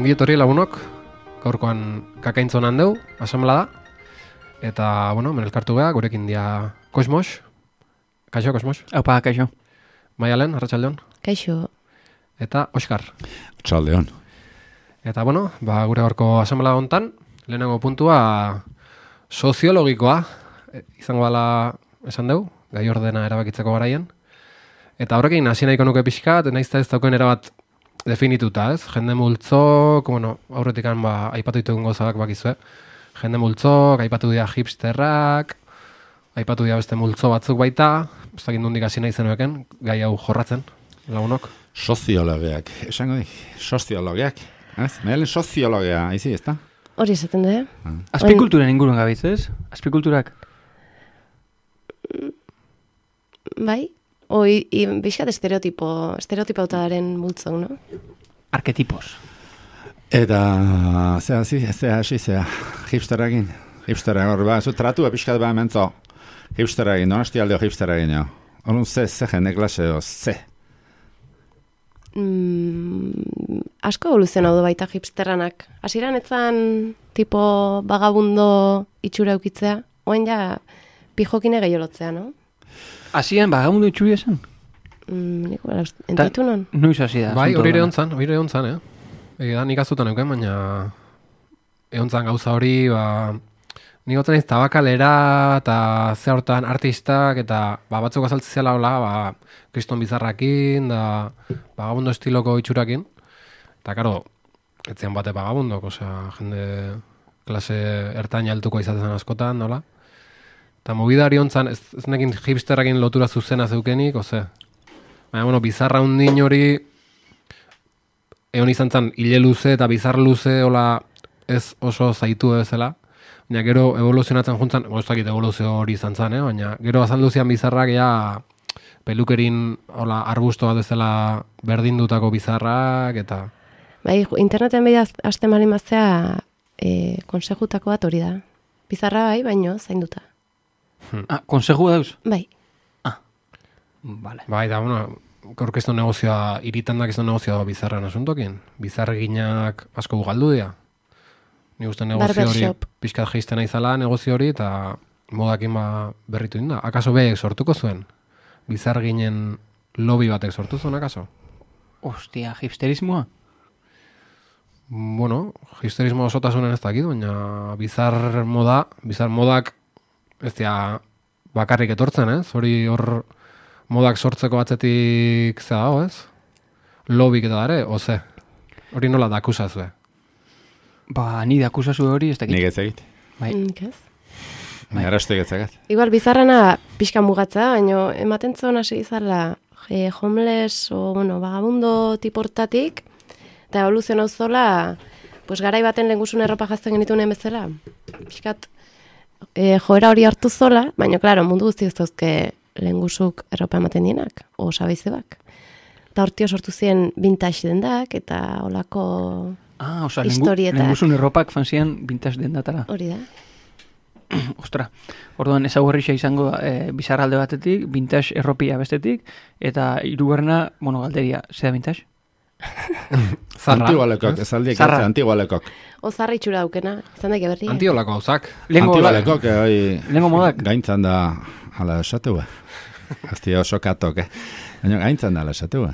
Ongi etorri lagunok, gaurkoan kakaintzonan deu, asamblea da. Eta, bueno, menelkartu beha, gurekin dia Kosmos. Kaixo, Kosmos. Aupa, kaixo. Maialen, arratsaldeon. Kaixo. Eta Oskar. Arratsaldeon. Eta, bueno, gure gaurko asamblea hontan, lehenengo puntua soziologikoa izango dela esan deu, gai ordena erabakitzeko garaien. Eta horrekin hasi nahiko nuke pixkat, naizta ez dauken erabat definituta, ez? Jende multzok, bueno, aurretikan aipatu ditugun gozak bakizue. Jende multzok, aipatu dira hipsterrak, aipatu dira beste multzo batzuk baita, ez dakit nondik hasi nahi zenueken, gai hau jorratzen, lagunok. Soziologiak, esango dik, soziologiak. Ez? Mehelen soziologia, izi, ezta? Hori esaten du, Azpikulturen inguruan gabiz, ez? Azpikulturak. Bai? Bizkat estereotipautaren multzok, no? Arketipos. Eta, zea hipsteragin. Hipsteragin, hor, zu tratu epizkat mentzo. Hipsteragin, donosti aldeo hipsteragin, jo. Horun ze jende klase, ze. Asko evoluzionau du baita hipsterranak. Hasieran etzan tipo vagabundo itxura eukitzea, oen ja pijokine gehiolotzea, no? Hasian vagabundo itxuri esan? Niko, entitu non? Noiz hasi da. Bai, hori ere ontzan, Da, nik azutan euken, baina egontzan gauza hori, nik gotzen ez tabakalera eta ze hortan artistak eta batzuk azaltzizela hola, kriston bizarrakin, da vagabundo estiloko itxurakin. Eta, karo, etzian bate vagabundok, osea, jende klase ertain altuko izaten askotan, nola? Eta movidari ontzan, ez nekin hipsterrakin lotura zuzena zeukenik, oze. Baina, bueno, bizarra hundin hori, egon izan zen, hile luze eta bizar luze, hola, ez oso zaitu bezala. Baina, gero evoluzionatzen juntzan, goztakit evoluzio hori izan zen, baina, gero azalduzian bizarrak, pelukerin, hola, arbusto bat ezela berdindutako bizarrak, eta... Bai, interneten behi azte malin baztea, konsejutako bat hori da. Bizarra bai, baino, zainduta. Konseju dauz? Bai. Vale. Bai, da, bueno, gorkezto negozioa, iritandak ez negozioa bizarran asuntokin. Bizarreginak asko galdu dira. Ni uste negozio hori, pixkat geizten aizala negozio hori, eta modakin berritu inda. Akaso behek sortuko zuen? Bizarreginen lobby batek sortu zuen, akaso? Ostia, hipsterismoa? Bueno, hipsterismo osotasunen ez dakit, baina bizar modak ez dira bakarrik etortzen, ez? Hori hor modak sortzeko batzetik zea dago, ez? Lobik eta dare, oze? Hori nola dakusazue? Ni dakusazue hori ez dakit. Nik ez egit. Bai. Ez? Nik arrastu egitzak. Igual, bizarrana pixka mugatza, baina ematen zuen hasi izala homeless o, bueno, vagabundo tiportatik, eta evoluzionau zola, pues garai baten lehengusun erropa jazten genitunen bezala. Pixkat, joera hori hartu zola, baina, klaro, mundu guzti ez dauzke lehengusuk erropa ematen dienak, o sabaizebak. Eta hortio sortu ziren vintage dendak, eta holako historietak. Lehengusun erropak fanzian vintage dendatara. Hori da. Ostra, orduan ezaugarrixa izango bizarralde batetik, vintage erropia bestetik, eta hirugarrena, galderia, ze da vintage? Antigualekok, ez aldiek ez, antigualekok. Ozarra itxura daukena, izan daike berri. Antiolako gauzak. Antigualekok, lehengo modak. Gaintzan da, ala esatua. Azti oso katok, Baina gaintzan da, ala esatua.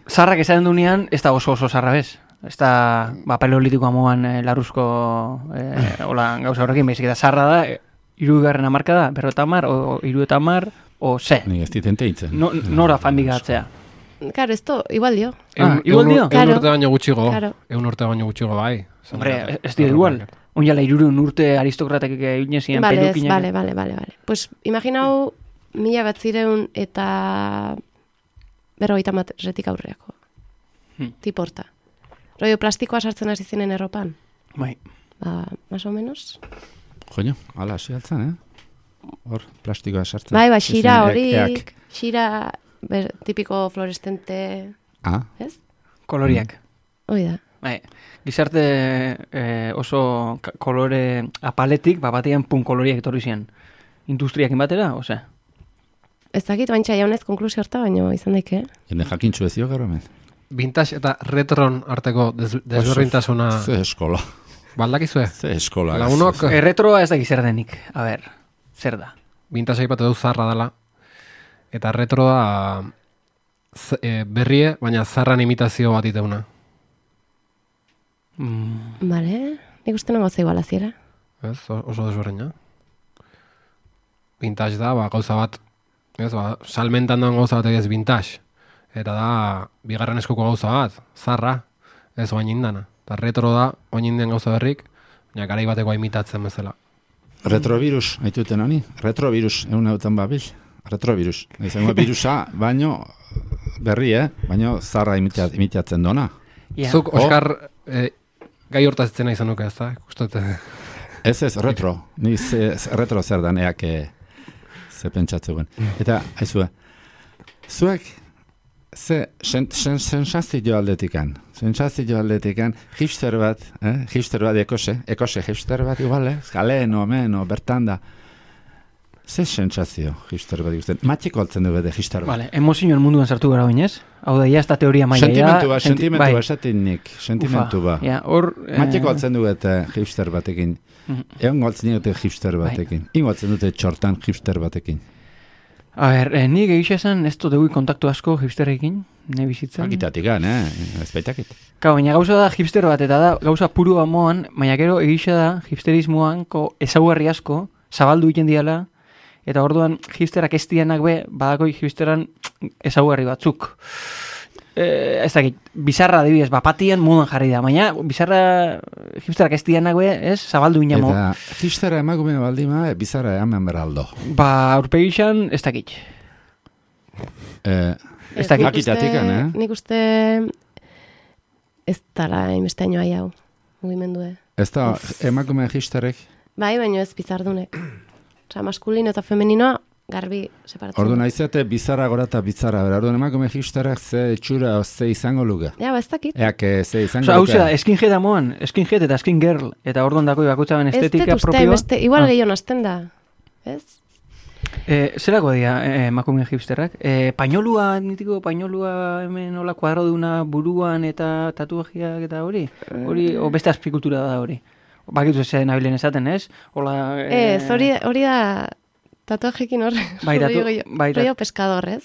Zarrak esaten dunean, ez da oso zarra bez. Ez da, paleolitiko amoan laruzko gauza horrekin, behizik eta zarra da, hirugarren hamarka da, 50, o 70, o ze. Nik ez ditente hitzen. Nora fandik gatzea. Claro, esto igual dio. Igual dio? Egun urte baino gutxigo. Claro. Egun urte baino gutxigo, bai. Hombre, ez dio igual. Oinala 300 urte aristokratek egin pelukinak. Vale. Pues imaginau 1900 eta berrogeita aurreako. Tiporta. Rollo plastikoa sartzen hasi ziren erropan. Bai. Ba, más o menos. Joño, ala, hasi altzen, Hor, plastikoa sartzen. Bai, xira Ezin, hori, eak. xira tipiko fluorescente, Ah, ez? Koloriak. Hoi da. Bai, gizarte oso kolore apaletik, batean koloriak etorri ziren. Industriakin batera, ose? Ez dakit, baintxa jaunez konklusio harta, baino izan daike. jende jakintxu ez dio gero hemen. Vintage eta retron arteko desberdintasuna Ze eskola. baldakizue? Ze eskola. Lagunok Erretroa ez da zer denik. A ber, zer da? vintage aipatu du zarra dela. Eta retroa berrie, baina zarran imitazio bat iteuna. Bale, nik uste nago zei balaziera. Ez, oso desberdina. Vintage da, gauza bat, ez, salmentan doan gauza bat ez vintage. Eta da, bigarren eskuko gauza bat, zarra, ez oain indana. Eta retro da, oain indian gauza berrik, baina garai bateko imitatzen bezala. Retrovirus, haituten honi? Retrovirus, egun eutan babil. Retrovirus. Izango virusa, baino berri, baino zarra imitatzen dona. Ja. Zuk, Oskar, gai hortazitzen izan nuke, ez da? Ez, retro. Ni retro zer dan, eak ze pentsatzen. Eta, haizue, zuek, ze sensazio aldetikan, hipster bat, ekose hipster bat igual, galeen, omen, bertan da. Ze sensazio hipster bat ikusten? Matxiko altzen du bede hipster bat. Vale, emozioen munduan sartu gara oinez. Hau da, esta teoria maila. Sentimentua, esatin nik, sentimentu ba. Ja, hor... Matxiko altzen du bete hipster batekin. Egon galtzen dute hipster batekin. Ingo altzen dute txortan hipster batekin. A ber, nik egisa esan ez dut kontaktu asko hipsterrekin, ne bizitzen. Akitatik gan, ez baitakit. Baina gauza da hipster bat, eta da gauza puru moan, baina gero egisa da hipsterismoanko ezaugarri asko, zabaldu egiten diala, eta orduan hipsterak ez dianak be, badako hipsteran ezaugarri batzuk. Ez dakit, bizarra adibidez, bapatian modan jarri da, baina bizarra hipsterak ez dianak be, ez, zabaldu inamo. Eta hipstera emakume baldima, bizarra eman beraldo. Ba, aurpegixan, ez dakit. Ez dakit. Akitatikan, Nik uste ez dala inbesteaino hau, mugimendue. Ez da, emakume hipsterek. Bai, baino ez bizardunek. Osa, maskulino eta femeninoa garbi separatzen. Orduan aizate bizarra gora eta bizarra. Orduan emakume hipsterak ze txura ze izango luke. Ja, ez dakit. Eak ze izango Osa, hau luke. zera, skinhead amoan, skinhead eta skin girl, eta orduan dako bakutzaben estetika propioa. Igual gehiago nazten da, ez? Zerako dira emakume hipsterrak? Painolua, nitiko painolua hemen hola kuadroduna buruan eta tatuajiak eta hori? O beste azpikultura da hori? Bakitu zen nabilen esaten, ez? Hola... Ez, hori da tatuajekin hor. Rollo pescador, ez?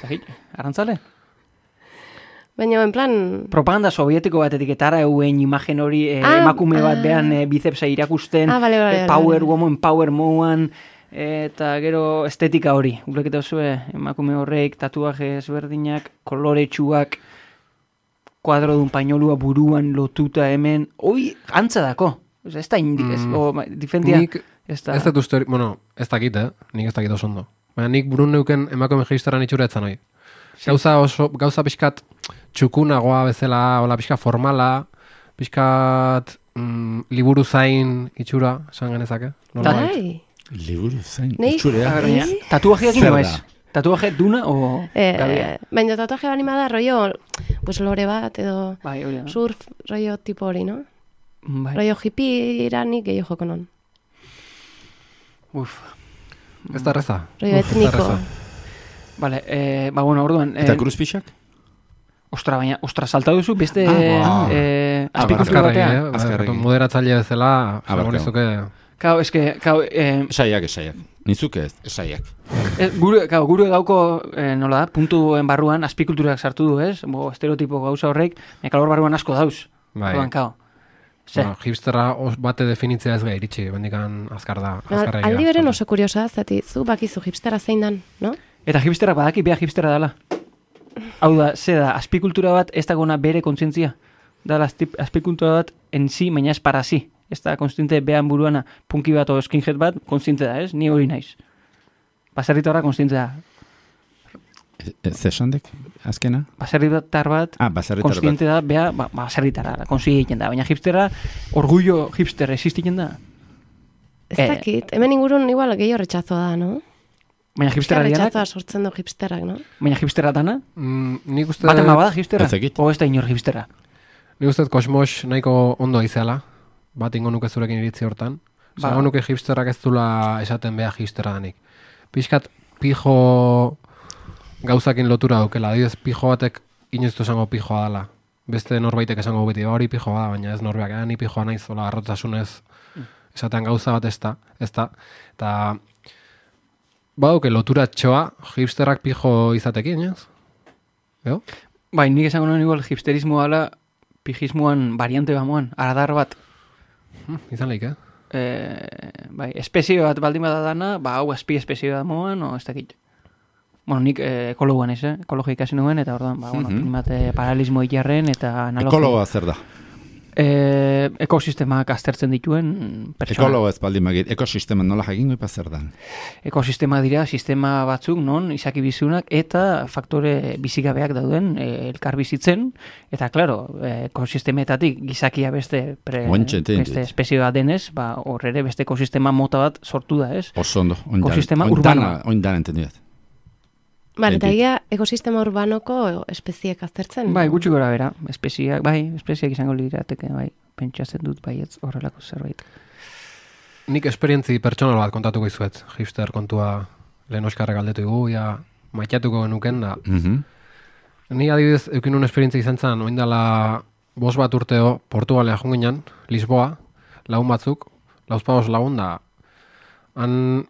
Zagit, arrantzale? Baina, en plan... Propaganda sovietiko batetik etara euen imagen hori emakume bat behan bicepsa irakusten, power woman, power moan, eta gero estetika hori. Uleketa zuen emakume horrek, tatuaje ezberdinak, koloretsuak, kuadrodun painolua buruan lotuta hemen, hoi antza dako. Ez da indik, difendia. Nik ez dut uste hori, bueno, ez dakit, nik ez dakit oso ondo. Baina nik burun neuken emakume hipsteran itxura etzan hoi. Gauza pixkat txukunagoa bezala, hola pixka formala, pixkat liburu zain itxura, esan genezake. Bai. Liburu zain itxurea. Tatuajeak ino ez? Tatuaje duna o... Baina tatuaje balima da, rollo, pues lore bat, edo surf, rollo tipo hori, no? Rollo hippie iranik gehiago joko non. Ez da reza. Rollo etniko. Vale, bueno, orduan... Eta kruzpixak? Ostra, baina, salta duzu, beste... Azpikultura batean. Moderatzaile bezala, agonizuke... Kau, eske... Esaiak. Nizuke ez, esaiak. Gure gauko, nola da, puntuen barruan, azpikulturak sartu du, ez? Estereotipo gauza horrek, mekalor barruan asko dauz. Bai. Bueno, hipsterra bate definitzea ez gai iritsi, bendikan azkarra. Aldi beren oso kuriosa, zati, zu bakizu hipsterra zein dan, no? Eta hipsterrak badaki beha hipsterra dela. Hau da, ze da, azpikultura bat ez dagona bere kontzientzia. Dala, azpikultura bat enzi, baina ez para si. Ez da, konstiente behan buruana punki bat o skinhead bat, konstiente da, ez? Ni hori naiz. Baserritarra konstiente da. Zesandek, azkena? Baserritar bat, Baserritar bat. konstiente da, bea, baserritara, konsi egiten da, baina hipstera, orgullo hipster existiken da. Ez dakit, hemen ingurun igual gehiago retxazo da, no? Baina hipstera dianak, Retxazoa sortzen du hipsterrak, no? baina hipstera dana, Nik uste... batema bada hipstera, Ez dakit. o ez da inor hipstera. Nik uste kosmos nahiko ondo aizeala, bat ingo nuke zurekin iritzi hortan. Ba. Zango nuke hipsterrak ez dula esaten beha hipstera danik. Piskat pijo gauzakin lotura daukela, adibidez pijo batek inoiztu esango pijoa dela. Beste norbaitek esango beti, hori pijoa da, baina ez norbeak, ni pijoa naiz, zola arrotasunez esaten gauza bat ez da. Eta badauke lotura txoa hipsterrak pijo izatekin, ez? Eo? Bai, nik esango nuen igual hipsterismoa ala, pijismoan variante bamoan, aradar bat, Izan lehik, bai, espezie bat baldin bada dana, hau azpi espezie bat moan, o ez dakit. Bueno, nik ekologuan ez, ekologia ikasi nuen, eta orduan, paralelismo ilarren eta analogia. Ekologoa zer da? Ekosistemak aztertzen dituen pertsona. Ekologo ez baldin magit, ekosistema nola jakingo ipa zer dan? Ekosistema dira, sistema batzuk, non, izaki bizunak, eta faktore bizigabeak dauden elkar bizitzen, eta, klaro, ekosistemetatik gizakia beste espezie bat denez, hor ere beste ekosistema mota bat sortu da, ez? Oso ondo, Ekosistema urbanoa. Oindan entendiat. Bale, eta egia ekosistema urbanoko espeziek aztertzen? Bai, gutxi gora bera, espeziak izango lirateke, bai, pentsatzen dut baietz horrelako zerbait. Nik esperientzi pertsonal bat kontatuko izuet, hipster kontua lehen oskarra galdetu dugu, ja maitatuko genuken da. Ni adibidez, eukin un esperientzi izan zen, oindala 5 bat urteo, Portugalea junginan, Lisboa, lagun batzuk, lauzpagos lagun da, han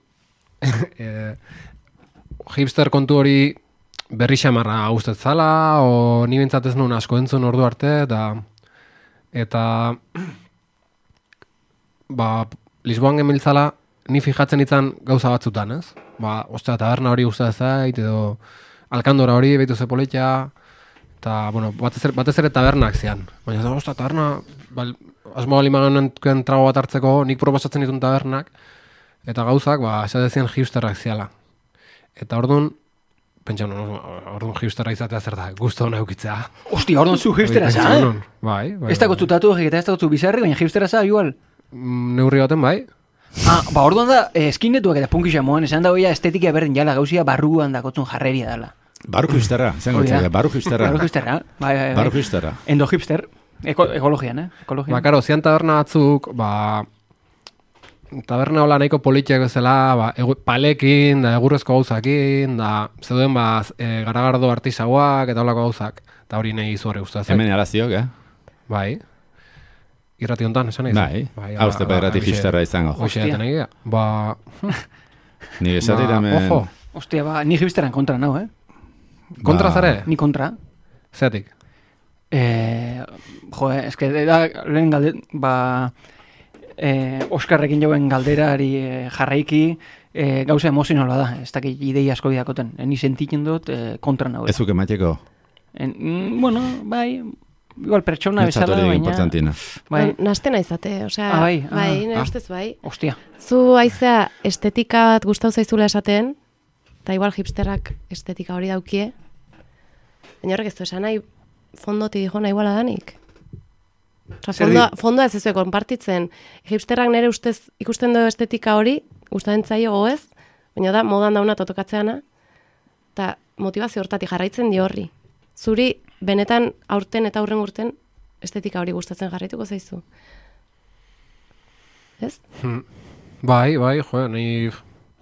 hipster kontu hori berri xamarra guztet zala, o ni bintzat ez nuen asko entzun ordu arte, eta Lisboan gemiltzala, ni fijatzen itzan gauza batzutan, ez? Ostia, taberna hori uste zait, edo alkandora hori, behitu ze politia, eta, bueno, batez ere tabernak zian. Baina, ostia, taberna, asmo bali magan trago bat hartzeko, nik proposatzen ditun tabernak, eta gauzak, esatezien hipsterrak ziala. Eta orduan, pentsa, orduan hipsterra izatea zer da, guztu hona eukitzea. Ostia, orduan zu hipstera za, Bai. Ez da gotzutatu egita, ez da gotzu bizarri, baina hipstera za, igual. Neurri baten, bai. Orduan da, eskinetuak eta punkisa moan, esan da hoia estetika berdin jala gauzia barruan dakotzun jarreria dela. Barru hipsterra, zen gotzea, barru hipsterra. Barru hipsterra, bai. Barru hipsterra. Endo hipster, ekologian, ekologian. Karo, zian taberna batzuk, taberna hola nahiko politiak bezala, palekin, da egurrezko gauzakin, da zeuden garagardo artisauak eta holako gauzak, eta hori nahi izu horre guztua zen. Hemen alaziok, Bai. Irrati hontan, esan nahi? Bai, hauzte pa irrati hipsterra izango. Hoxea, eta nahi Ni esatit hemen... Ojo. Ostia, ni hipsteran kontra nau, Kontra zare? Ni kontra. Zeatik? Eske da lehen galdet, Oskarrekin jauen galderari jarraiki gauza emozionala da, ez dakit idei asko bidakoten. Ni sentitzen dut kontra nago. Ez zuke mateko? Bueno, bai, igual pertsona bezala, baina... Bai. Nastena izate, osea, bai, nire ustez bai. Ostia. Zu aizea estetika bat gustau zaizula esaten, eta igual hipsterrak estetika hori daukie, baina horrek ez du esan nahi fondoti dijo nahi iguala danik. Fondoa ez ezue konpartitzen. Hipsterrak nire ustez ikusten du estetika hori, gustatzen zaio goez, baina da modan dauna totokatzeana, eta motivazio hortatik jarraitzen di horri. Zuri benetan aurten eta aurren urten estetika hori gustatzen jarraituko zaizu. Ez? Bai, jo, nahi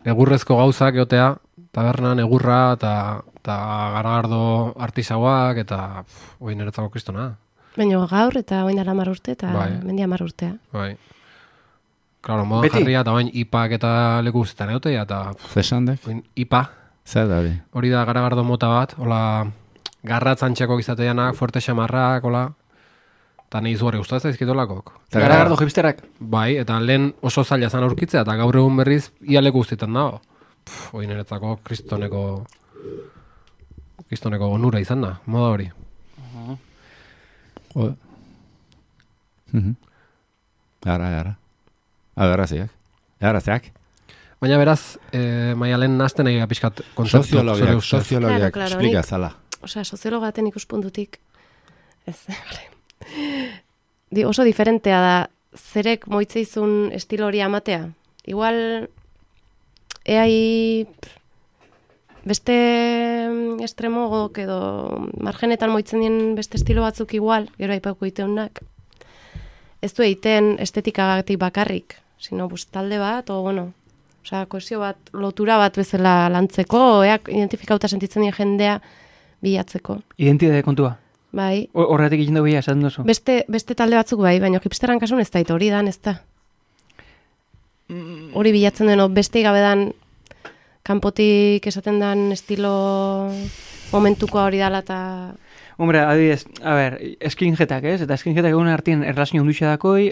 egurrezko gauzak egotea, tabernan egurra eta garagardo artisauak eta hoi niretzako kristona. Baina gaur eta oin dara 10 urte eta mendia 10 urtea. Bai. Claro, moda jarria eta bain ipak eta leku guztetan egotea eta... Zesandek? Ipa. Zer da hori? Hori da garagardo mota bat, hola garratzantxeko izateanak, fuerte xamarrak, hola... Eta nahi zuhari gustatzen zaizkitolakok. Garagardo hipsterrak? Bai, eta lehen oso zaila zan aurkitzea, eta gaur egun berriz ia leku guztietan dago. Hoi niretzako kristoneko onura izan da, moda hori. Ara. Agaraziak. Baina beraz, Maialen nazten egia pixkat kontzeptu. Soziologiak Claro, explika nik- zala. Osea, soziologaten ikuspuntutik, ez, oso diferentea da, zerek moitzeizun estilo hori amatea. Igual, eai beste estremogok edo margenetan moitzen dien beste estilo batzuk igual, gero aipauko iteunak, ez du egiten estetikagatik bakarrik, sino talde bat, o bueno, osea, kohesio bat, lotura bat bezala lantzeko, eak identifikauta sentitzen dien jendea bilatzeko. Identitate kontua. Bai. Horretik egin dugu esaten duzu. Beste talde batzuk bai, baina hipsteran kasun ez da, hori dan ez da. Hori bilatzen duen, beste gabe dan kanpotik esaten dan estilo momentukoa hori dala eta... Hombre, adibidez, a ber, skinheadak, ez? Eta skinheadak egun artien erlazio ondutxe dakoi,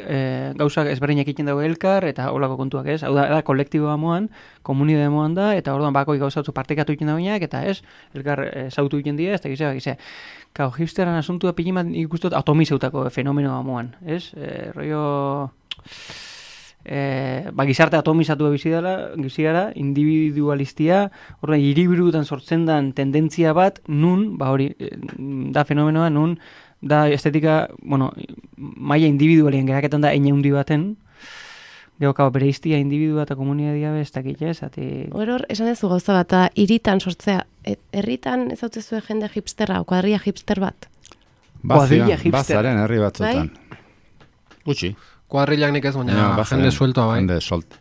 gauzak ezberdinak egiten dago elkar, eta holako kontuak, ez? Hau da kolektiboa moan, komunidade moan da, eta orduan bakoi gauzatzu partekatu egiten dagoenak, eta ez, elkar zautu egiten dira, ez da gizea. Kau, hipsteran asuntua pilimat ikustot atomizeutako fenomenoa moan, ez? Rollo... gizarte atomizatu bizigara, individualistia, orduan hiriburutan sortzen dan tendentzia bat, nun, hori, da fenomenoa, nun, da estetika, bueno, maila individualien geraketan da eine hundi baten, gero, bere iztia individua eta komunitatea ez dakit, ez? Hor, esan dezu gauza bat, da, hiritan sortzea, herritan ez hau jende hipsterra, kuadria hipster bat. Bazaren herri batzutan. Gutxi. Kuadrilak nik ez, baina jende sueltoa bai. Jende solt.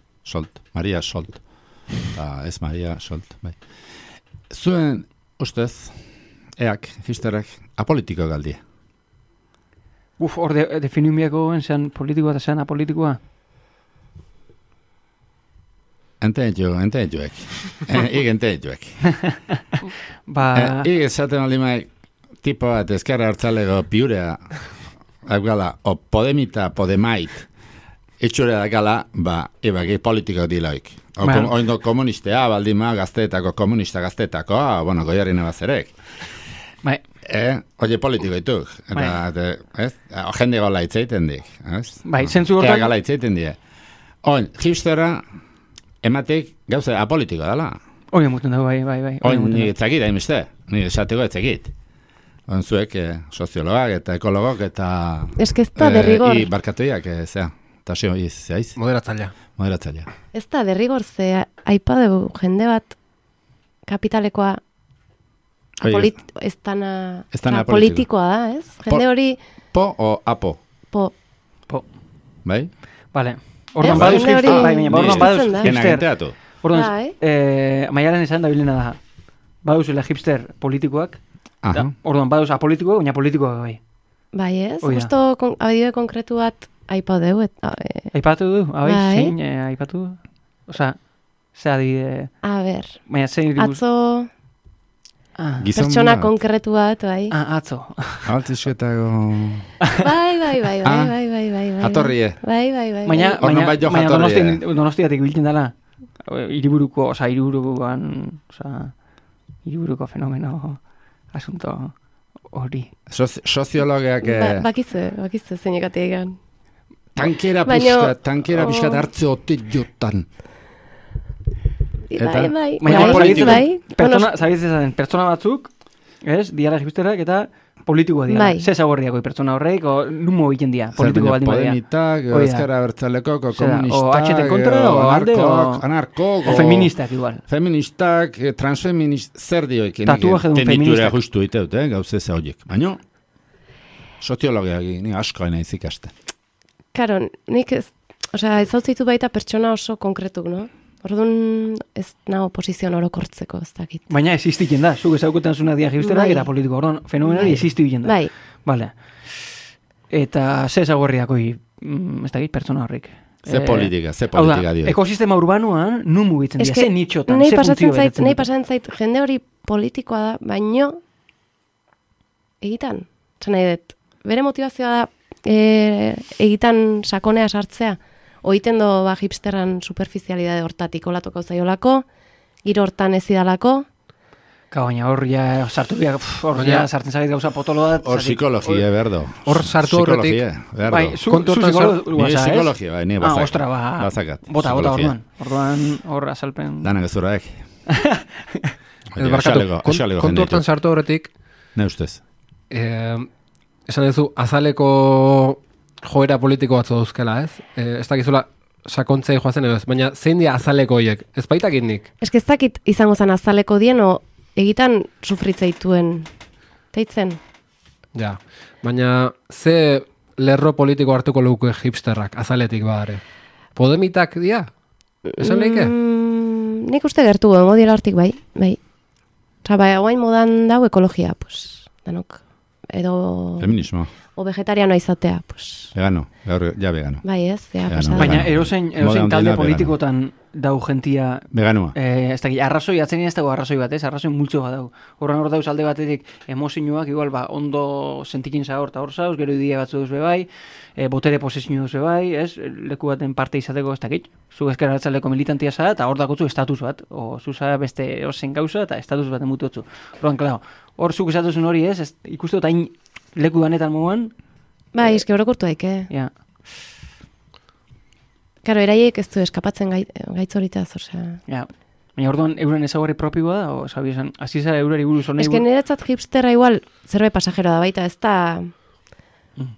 Maria Solt. Ez Maria Solt, bai. Zuen, ustez, eak, hipsterrak, apolitiko galdia. Hor definiumiako zean politikoa eta zean apolitikoa? Ententuek. Ik ententuek. Ik esaten aldimaik, tipo bat ezkerra hartzalego piurea, gala, o Podemita, Podemait, etxure da gala, ebaki politiko diloik. Oindo komunistea, baldima, gazteetako, komunista gazteetako, bueno, goiarri nebazerek. Oie politiko dituk. Jende gola itzeiten dik. Zentzu hortan? Gala itzeiten dik. Hipstera, ematek gauza apolitiko dela. Oie muten dago, bai. Ni etzakit, hainbeste. Ni esateko etzakit. Zuek soziologak eta ekologok eta... Ez da derrigor. Barkatuiak, zea. Eta zeo, zeiz? Moderatzailea. Ez da derrigor, ze aipadeu jende bat kapitalekoa ez dana politikoa da, ez? Jende hori... Po o apo? Po. Bai? Vale. Orduan baduz hipster. Orduan baduz hipster. Orduan, Maialen esan da bilena da. Baduz hipster politikoak. Orduan baduz apolitikoak, baina politikoak bai. Bai ez, justo abadide konkretu bat aipatu deu. Aipatu du? Zein aipatu du? Osa, ze adibide... A ber, atzo... Pertsona konkretu bat, bai. Atzo. Altizketago... Bai. Jatorrie. Bai. Baina Donostiatik biltzen dela. Hiriburuko fenomeno asunto hori. Soziologiak... Bakizue zeinekatik egan. Tankera pixkat hartze ote jotan. Bai. Pertsona batzuk, ez, diara hipsterak eta politikoa dira. Ze zagorriako pertsona horreik, o numo egiten dira, politiko baldin badia. Podemitak, ezkara bertzaleko, komunistak, o HT kontra, o alde, anarkok, o feministak igual. Feministak, transfeminist, zer dioik. Tatuaje dun feministak. Tenitura justu iteut, gauze ze horiek. Baina, soziologiak, ni asko nahi zikaste. Karo, nik ez zautzitu baita pertsona oso konkretuk, no? Orduan ez nago posizioan orokortzeko, ez dakit. Baina existiken da, zuk ezauketan zuna dia hipsterak eta politiko. Orduan, fenomenari existiken da. Bai. Vale. Eta ze ezagorriakoi, ez dakit, pertsona horrik. Ze politika dio. Ekosistema urbanoan, nun mugitzen dira, ze nitxotan, ze funtzio betetzen. Nahi pasatzen zait, jende hori politikoa da, baino egitan. Zan nahi dut, bere motivazioa da egitan sakonea sartzea. Oiten do hipsterran superficialidade hortatik olatuko zaiolako, giro hortan ez idalako, Baina hor ja sartu biak, hor ja sartzen zait gauza potolo da. Hor psikologia, berdo. Hor sartu horretik. Bai, zu psikologia, bai, nire bazak. Ostra, bazakat. Bota orduan. Orduan hor azalpen. Danak ez zuraek. Ez barkatu, kontu hortan sartu horretik. Ne ustez. Esan duzu, azaleko joera politiko batzu dauzkela, ez? Ez dakizula sakontzei joazen edo ez, baina zein dia azaleko horiek? Ez baitakit nik? Ez ez dakit izango zen azaleko dien, o egitan sufritzeituen teitzen. Ja, baina ze lerro politiko hartuko luke hipsterrak azaletik badare? Podemitak dia? Esan leike? Nik uste gertu modiela hortik bai. Osa, bai, guain modan dau ekologia, pues, danok, edo... Feminismo. O vegetarianoa izatea, pues... Vegano, gaur ja vegano. Bai, ez, ja, Vegano. pasada. Baina erosein talde politikotan dau gentia... Veganua. Ez dakit, arrazoi, atzen ez dago arrazoi bat, ez? Arrazoi multzo bat dau. Horren hor dauz alde batetik emozioak, igual, ondo sentikin zahor eta hor zauz, gero idia batzu duz bebai, botere posizio duz bebai, ez? Leku baten parte izateko ez dakit. Zu ezker atzaleko militantia zara, eta hor dakotzu estatus bat. O, zu zara beste ozen gauza, eta estatus bat emutotzu. Horren, klaro, hor zuk esatuzun hori, ez? Ikustu eta leku ganetan moan. Bai, eski orokurtu daik, Ja. Karo, eraiek ez du eskapatzen gaitzoritaz, osea... Ja. Baina orduan euren ezaugarri propioa da, o sabi esan, hasi zara eurari buruz honei... Ez que niretzat hipsterra igual zerbait pasajero da baita, ez da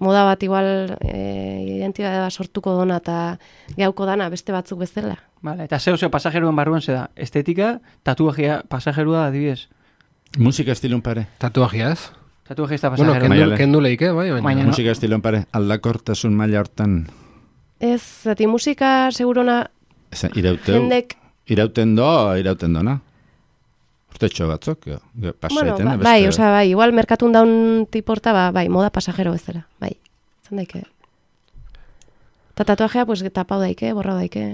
moda bat igual identitatea sortuko dona eta gauko dana beste batzuk bezala. Vale, eta zeo pasajeroan barruan ze da, estetika, tatuajea pasajeroa da, adibidez. Musika estilun pare. Tatuajea ez? Tatuajea ez da Bueno, pasajero. kendu leike, bai, baina... Musika estilun pare, aldakortasun maila hortan... Ez, zati musika segurona jendek... Irauten dona. Urtetxo batzuk, pasaiten. Bueno, bai, osea, bai, igual merkatun daun tiporta, bai, moda pasajero bezala, bai. Zan daike. Eta tatuajea, pues, tapau daike, borrau daike.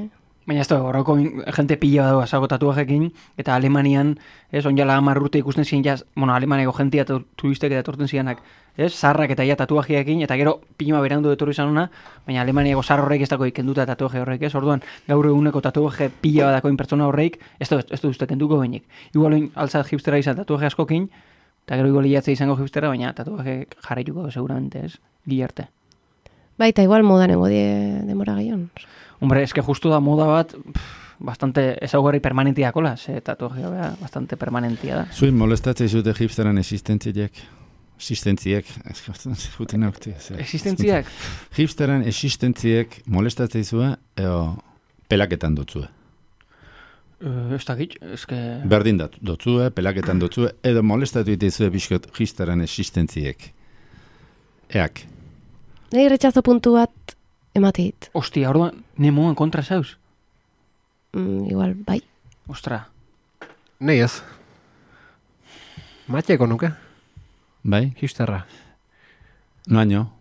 Baina ez da, horreko jente pila dago asago tatuajekin, eta Alemanian, ez, onjala 10 urte ikusten ziren, Alemaniako jentia turistek eta etorten zirenak, ez, zarrak eta ja tatuajeekin, eta gero pilima berandu etorri izan ona, baina Alemaniako zar horrek ez dako ikenduta tatuaje horrek, ez, orduan gaur eguneko tatuaje pila badakoin pertsona horreik, ez du uste kenduko behinik. Igual altzat hipstera izan tatuaje askokin, eta gero igual hilatze izango hipstera, baina tatuaje jarraituko seguramente, ez, gilarte. Bai, eta igual modanengo demora gehion. Hombre, eske justu da moda bat, bastante ezaugarri permanentia kola, ze tatuajea bea, bastante permanentia da. Zuin molestatzei zute hipsteran existentziek, Existentziak? Hipsteran existentziek molestatzei zua, eo pelaketan dutzue. Ez dakit, eske... Berdin dutzue, pelaketan dutzue, edo molestatu itezue bizkot hipsteran existentziek. Eak. Nei retxazo puntu bat emateit. Ostia, orduan, nemoan kontra zauz? Igual, bai. Ostra. Nei ez. Matxeko nuke. Bai? Hipsterra. Noaino.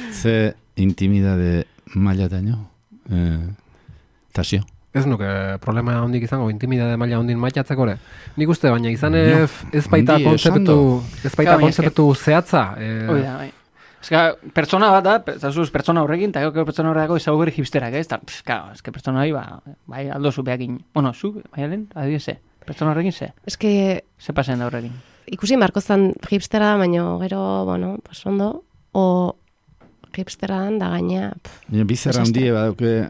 Ze intimidade maila daño. Tasio. Ez nuke problema hondik izango, intimidade maila hondin maitatzeko ere. Nik uste, baina izan ez baita kontzeptu zehatza. Oida, bai. Eska, pertsona bat da, pertsona horrekin, eta gero pertsona horretako ezaugarri hipsterak, ez? Eske pertsona hori, bai, aldo zu behakin. Bueno, zu, bai alen, adibidez ze. Pertsona horrekin ze. Eske... Ze pasen da horrekin. Ikusi markozan hipstera da, baina gero, bueno, pues ondo, o hipstera da gaina... Bizarra handie badauke...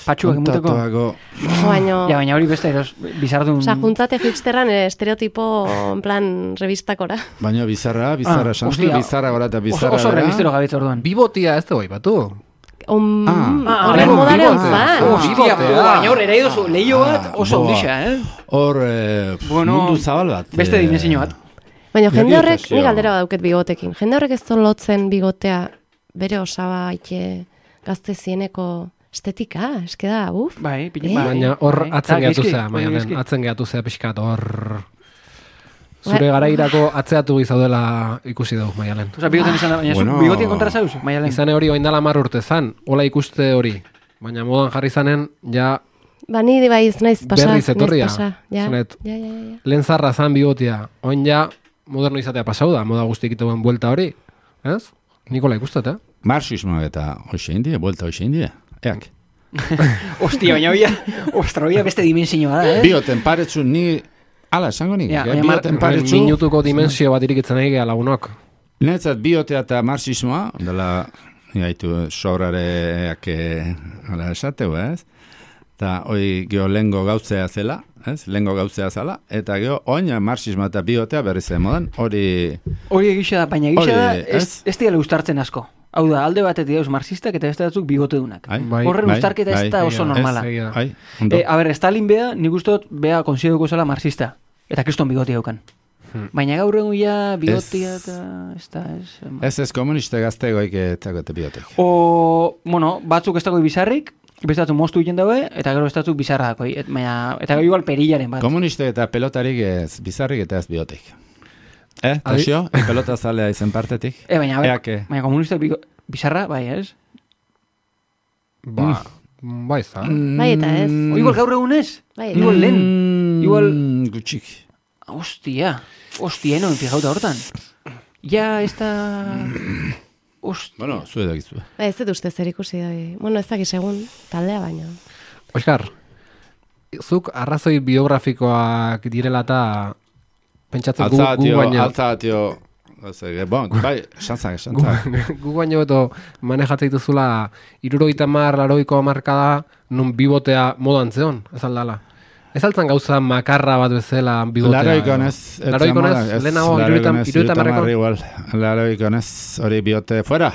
Patxuak emuteko. Baina hori beste bizardun... Osa, juntzate hipsteran estereotipo en plan revistakora. Baina bizarra, bizarra gora eta bizarra... Oso revistero gabitz orduan. Bibotia ez dugu batu. Horren modare onzan. Hostia, baina hor ere idozu lehio bat oso ondisa, Hor mundu zabal bat. Beste dimensio bat. Baina jende horrek, nik galdera badauket bigotekin, jende horrek ez lotzen bigotea bere osaba ite gazte zieneko estetika, eske da, Bai, baina hor atzen gehatu zea, Maialen, atzen gehatu zea pixkat, hor... Zure garairako atzeatu gizaudela ikusi dugu, Maialen. Osa, bigoten izan da, baina bigotien kontra zauz, Maialen? Izane hori oindala 10 urte zan, hola ikuste hori. Baina modan jarri zanen, ja... Ba, ni baiz naiz pasa. Berriz etorria. Ja. Lehen zarra zan bigotia, oin ja moderno izatea pasau da, moda guztik ituen buelta hori. Ez? Nikola ikustet, Marxismo eta hoxe indie, buelta hoxe indie. Eak. Ostia, baina oia beste dimensioa da, Bioten paretsu ni... Ala, esango nik, Ja, baina bioten paretsu... Minutuko dimensio bat irikitzen egin lagunok. Netzat biotea eta marxismoa, dela, gaitu sobrareak esateu, ez? Eta hoi geho lengo gautzea zela, ez? Lengo gautzea zela, eta geho oina marxismoa eta biotea berri zen modan, hori egixe da, baina egixe da, Hori, ez dira ustartzen asko. Hau da, alde batetik dauz marxistak eta beste batzuk bigotedunak. Bai, Horren ustarketa ez da oso normala. Ai, ondo. A ber, Stalin bea, nik ustot, bea konsideruko zela marxista. Eta kriston bigotia daukan. Baina gaur egun ja bigotia eta... Ez komuniste gaztegoik etzakote biotek. Bueno, batzuk ez dago bizarrik, beste batzuk moztu egiten daue, eta gero beste batzuk bizarra dako. Eta gero igual perillaren bat. Komuniste eta pelotarik ez bizarrik eta ez biotek. Tosio? Pelota zalea izen partetik? Baina komunista bizarra, bai, ez? Bai, za. Bai, eta ez. Igual gaur egun ez? Bai, Igual lehen. Igual... Gutxik. Hostia, no fijauta hortan. Ja, ez da... Bueno, zu edo gizu. Bai, ez dut uste zer ikusi da. Bueno, ez dakiz egun taldea baina. Oskar, zuk arrazoi biografikoak direla eta pentsatzen gu baino... Altzatio, bon, bai, xantzak. Gu baino eto manejatzen dituzula 70-80ko hamarkada nun bibotea modan zeon, ez aldala. Ez altzan gauza makarra bat bezala bigotea. Laroikonez. Lehenago, 70-marreko. Laroikonez, hori biote, fuera,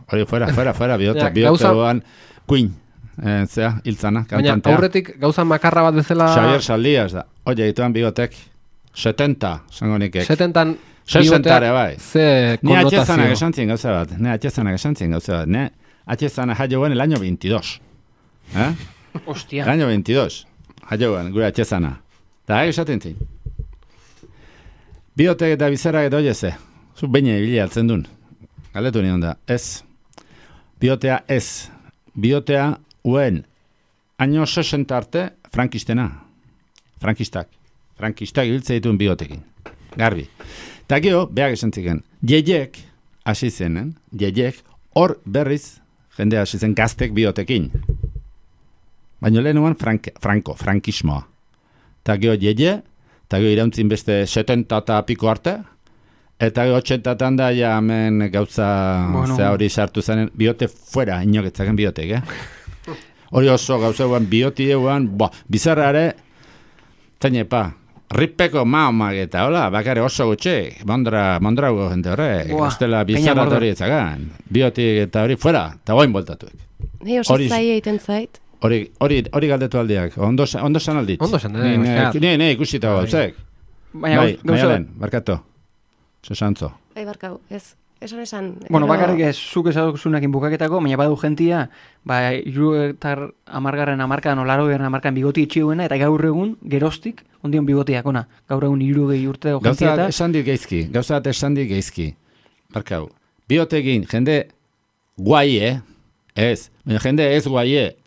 biote guan, Queen, zea, hiltzana, kantantea. Baina, aurretik gauza makarra bat bezala... Xavier Saldias da, oie, ituan bigotek, 70, zango nikek. 70-an 60 bai. Ze Ni konnotazio. atxezanak esantzien gauza bat, ne atxezana jaioen el año 22. Hostia. El año 22. Jaioan, gure atxezana. Eta esaten zin. Biotek eta bizarak eta oieze. Zu baina ibili altzen duen. Galetu nion da. Ez. Biotea ez. Biotea uen. Año 60 arte, frankistena. Frankistak ibiltze dituen biotekin. Garbi. Eta gero, behak esan ziken. Jeiek, hasi zenen, hor berriz, jende hasi zen gaztek biotekin. Baina lehenuan frankismoa. Eta geho eta geho irauntzin beste 70 eta piko arte, eta geho 80-tan da ja hemen gauza zea hori sartu zanen, biote fuera, inoketzaken biotek, Hori oso gauza eguan, bioti eguan, bizarrare, zainepa, ripeko maomageta, hola, bakare oso gutxe, mondrago jente horrek, ustela bizarra hori etzagan, biotik eta hori fuera, eta goin boltatuek. Ni oso zai egiten zait. Hori galdetu aldiak, ondo san aldit. Ondo san, Ne, ikusita gauzek. Bai, maialen, barkatu. Sosantzo. Bai, barkau, ez. Esan. Bueno, bakarrik ez, zuk esaduzunakin bukaketako, baina badu gentia, 70 hamarkadan, 80 hamarkadan bigoti itxiuena, eta gaur egun, geroztik, ondion bigotiak ona. Gaur egun 60 urteko gentia eta... Gauza esan dit geizki. Barkau, biotegin, jende guaie, ez, jende ez guaie,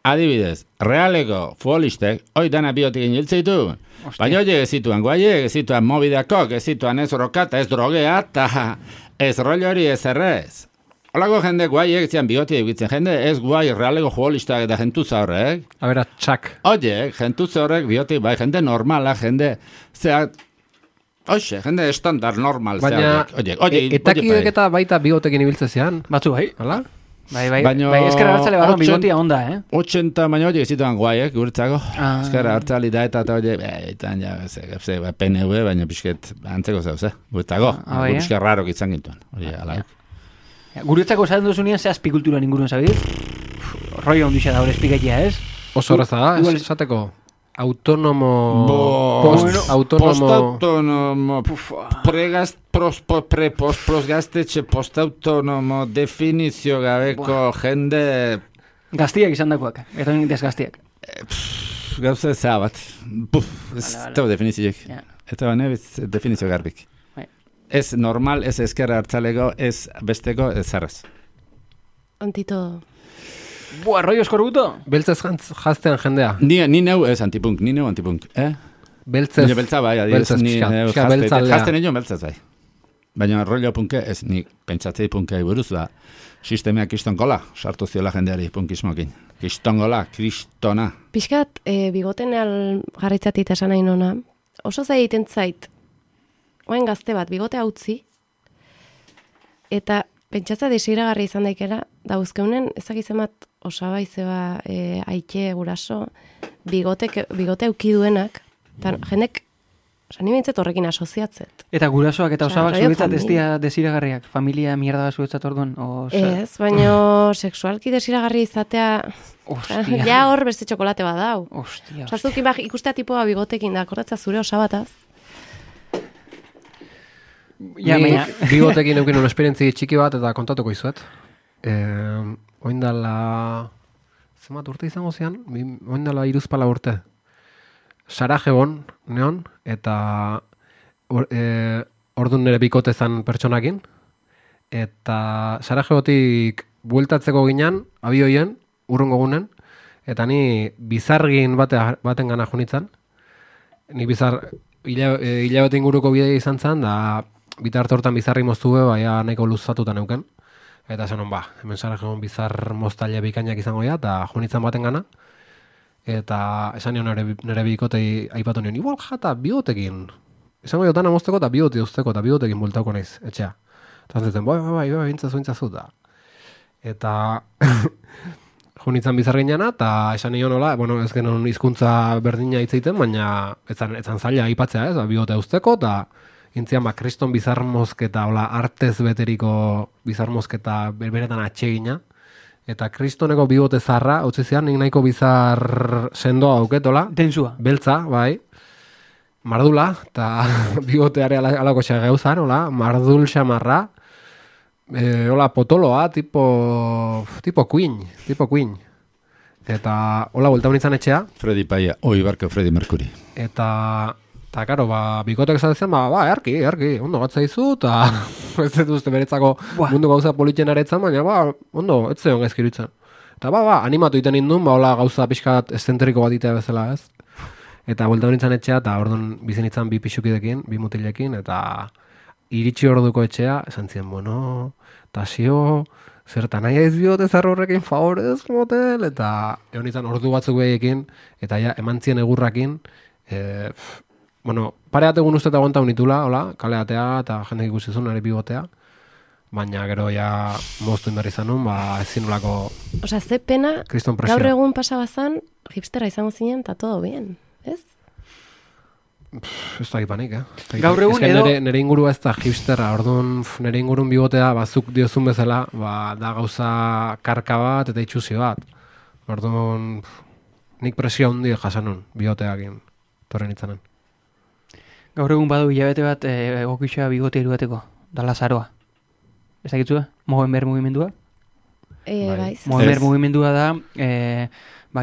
adibidez, realeko futbolistek, hoi dana biotegin hiltzeitu, baina hori ezituan guaie, ezituan mobideakok, ezituan ez rokata, ez drogea, eta ez rollo hori ez errez. Olako jende guai egitzen bigoti egitzen, jende ez guai realeko futbolistak eta jentutza horrek. A bera, txak. Oiek, jentutza horrek bigoti, bai, jende normala, jende, zeak, oixe, jende estandar normal, zeak. Baina, etakidek eta baita bigotekin ibiltze zean. Batzu, bai. Hala? Bai, eskerra hartzale barron bigotia onda, 80, baina hori ezituan guaiek, guretzako. Eskerra hartzali da eta hori, etan ja, PNV, baina pixket antzeko zauz, guretzako. Pixket rarok izan gintuen, hori, ala. Guretzako esaten duzunean, ze azpikultura ninguruen zabir? Roi ondixa da hori espiketia, ez? Oso horreza da, esateko. Autonomo... Postautonomo... Prosgaztetxe postautonomo definizio gabeko jende... Gaztiak izan dakoak, eta desgaztiak. Gauza eza bat. Ez tau definizioek. Eta bane definizio garbik. Ez normal, ez eskerra hartzaleko, ez besteko, ez zarraz. Antito... Boa, rollo eskorbuto? Beltzez jaztean jendea. Ni neu ez antipunk, Beltzez. Beltza bai, adiez, ni jazten egin beltzez bai. Baina rollo punke ez, ni pentsatzei punkei buruz da, sistemeak iston kola, sartu ziola jendeari punkismokin. kristona. Piskat, bigotenean jarritzatit esan nahi nona, oso egiten zait, oain gazte bat, bigotea utzi, eta pentsatza desiragarri izan daikela, dauzkeunen ezakizemat osaba izeba aike guraso, bigote eukiduenak, eta jendek, ni bintzet horrekin asoziatzet. Eta gurasoak eta osabak rollo zuretzat ez familia. dira desiragarriak, familia mierda bat zuretzat orduan? Ez, baino sexualki desiragarri izatea, Ostia. ja hor beste txokolate bat dau. Ostia. Osa, zuk ikustea tipoa bigotekin da, akordatza zure osabataz. Ja, Ni baina... bigotekin eukin un esperientzi txiki bat eta kontatuko izuet. Oindala... Zemat urte izango zian? Oindala 3 urte. Sarajebon, neon, eta orduan nire bikote zan pertsonakin. Eta Sarajebotik bueltatzeko ginean, abioien, urrungo gunen, eta ni bizargin baten gana junitzen. Ni bizar, hilabete inguruko bidea izan zen, da bitarte hortan bizarri moztue, baina nahiko luzatuta neuken. Eta esan ba, hemen Sarajebon bizar moztaile bikainak izango ja, eta junitzen baten gana. Eta esan nion nire bikotei aipatu nion, igual jata bigotekin. Esango jotana mozteko eta bigote usteko eta bigotekin bultauko naiz, etxea. Eta zuten, bai, intzazu da. Eta junitzen bizar gineana, eta esan nion nola, bueno, ez genon hizkuntza berdina hitzeiten, baina etzan zaila aipatzea, ez, bigote usteko, eta intzian, kriston bizarmozketa, hola, artez beteriko bizarmozketa berberetan atsegina. Eta kristoneko bigote zarra, utzi zian, nik nahiko bizar sendoa auketola. Densua. Beltza, bai. Mardula, eta bigoteare alako gauzan, hola, mardul xamarra. Hola, potoloa, tipo Queen. Eta, hola, buelta honitzen etxea. Freddy Paia, barko Freddy Mercury. Eta karo, bikotek esatzen, erki, ondo gatza izu, eta ez dut uste beretzako mundu gauza politxen aretzan, baina, ondo, ez zeon gaizkirutzen. Eta, animatu iten indun, hola gauza pixkat eszentriko bat itea bezala, ez? Eta buelta honitzen etxea, eta orduan bizen itzan 2 pixukidekin, 2 mutilekin, eta iritsi orduko etxea, esan ziren, bueno, tasio, zertan nahi aiz biote zarro horrekin favorez, motel, eta egon izan ordu batzuk behiekin, eta ja, eman zien egurrakin, bueno, pareat egun uste eta aguanta unitula, hola, kaleatea, eta jende ikusizun nire bigotea, baina gero ja moztu inberri zanun, ezin nolako... Osa, ze pena, kriston presio. gaur egun pasabazan, hipstera izango zinen, eta todo bien, ez? Ez da gipanik, Gaur egun edo... edo... Nire ingurua ez da hipsterra, orduan nire ingurun bigotea, zuk diozun bezala, da gauza karka bat eta itxusi bat. Orduan, nik presio handi jasanun, bigoteakin, torren itzanen. Gaur egun badu hilabete bat egokitxoa bigote irudateko, da Lazaroa. Ez dakitzua? Movember mugimendua? Bai. Movember mugimendua da,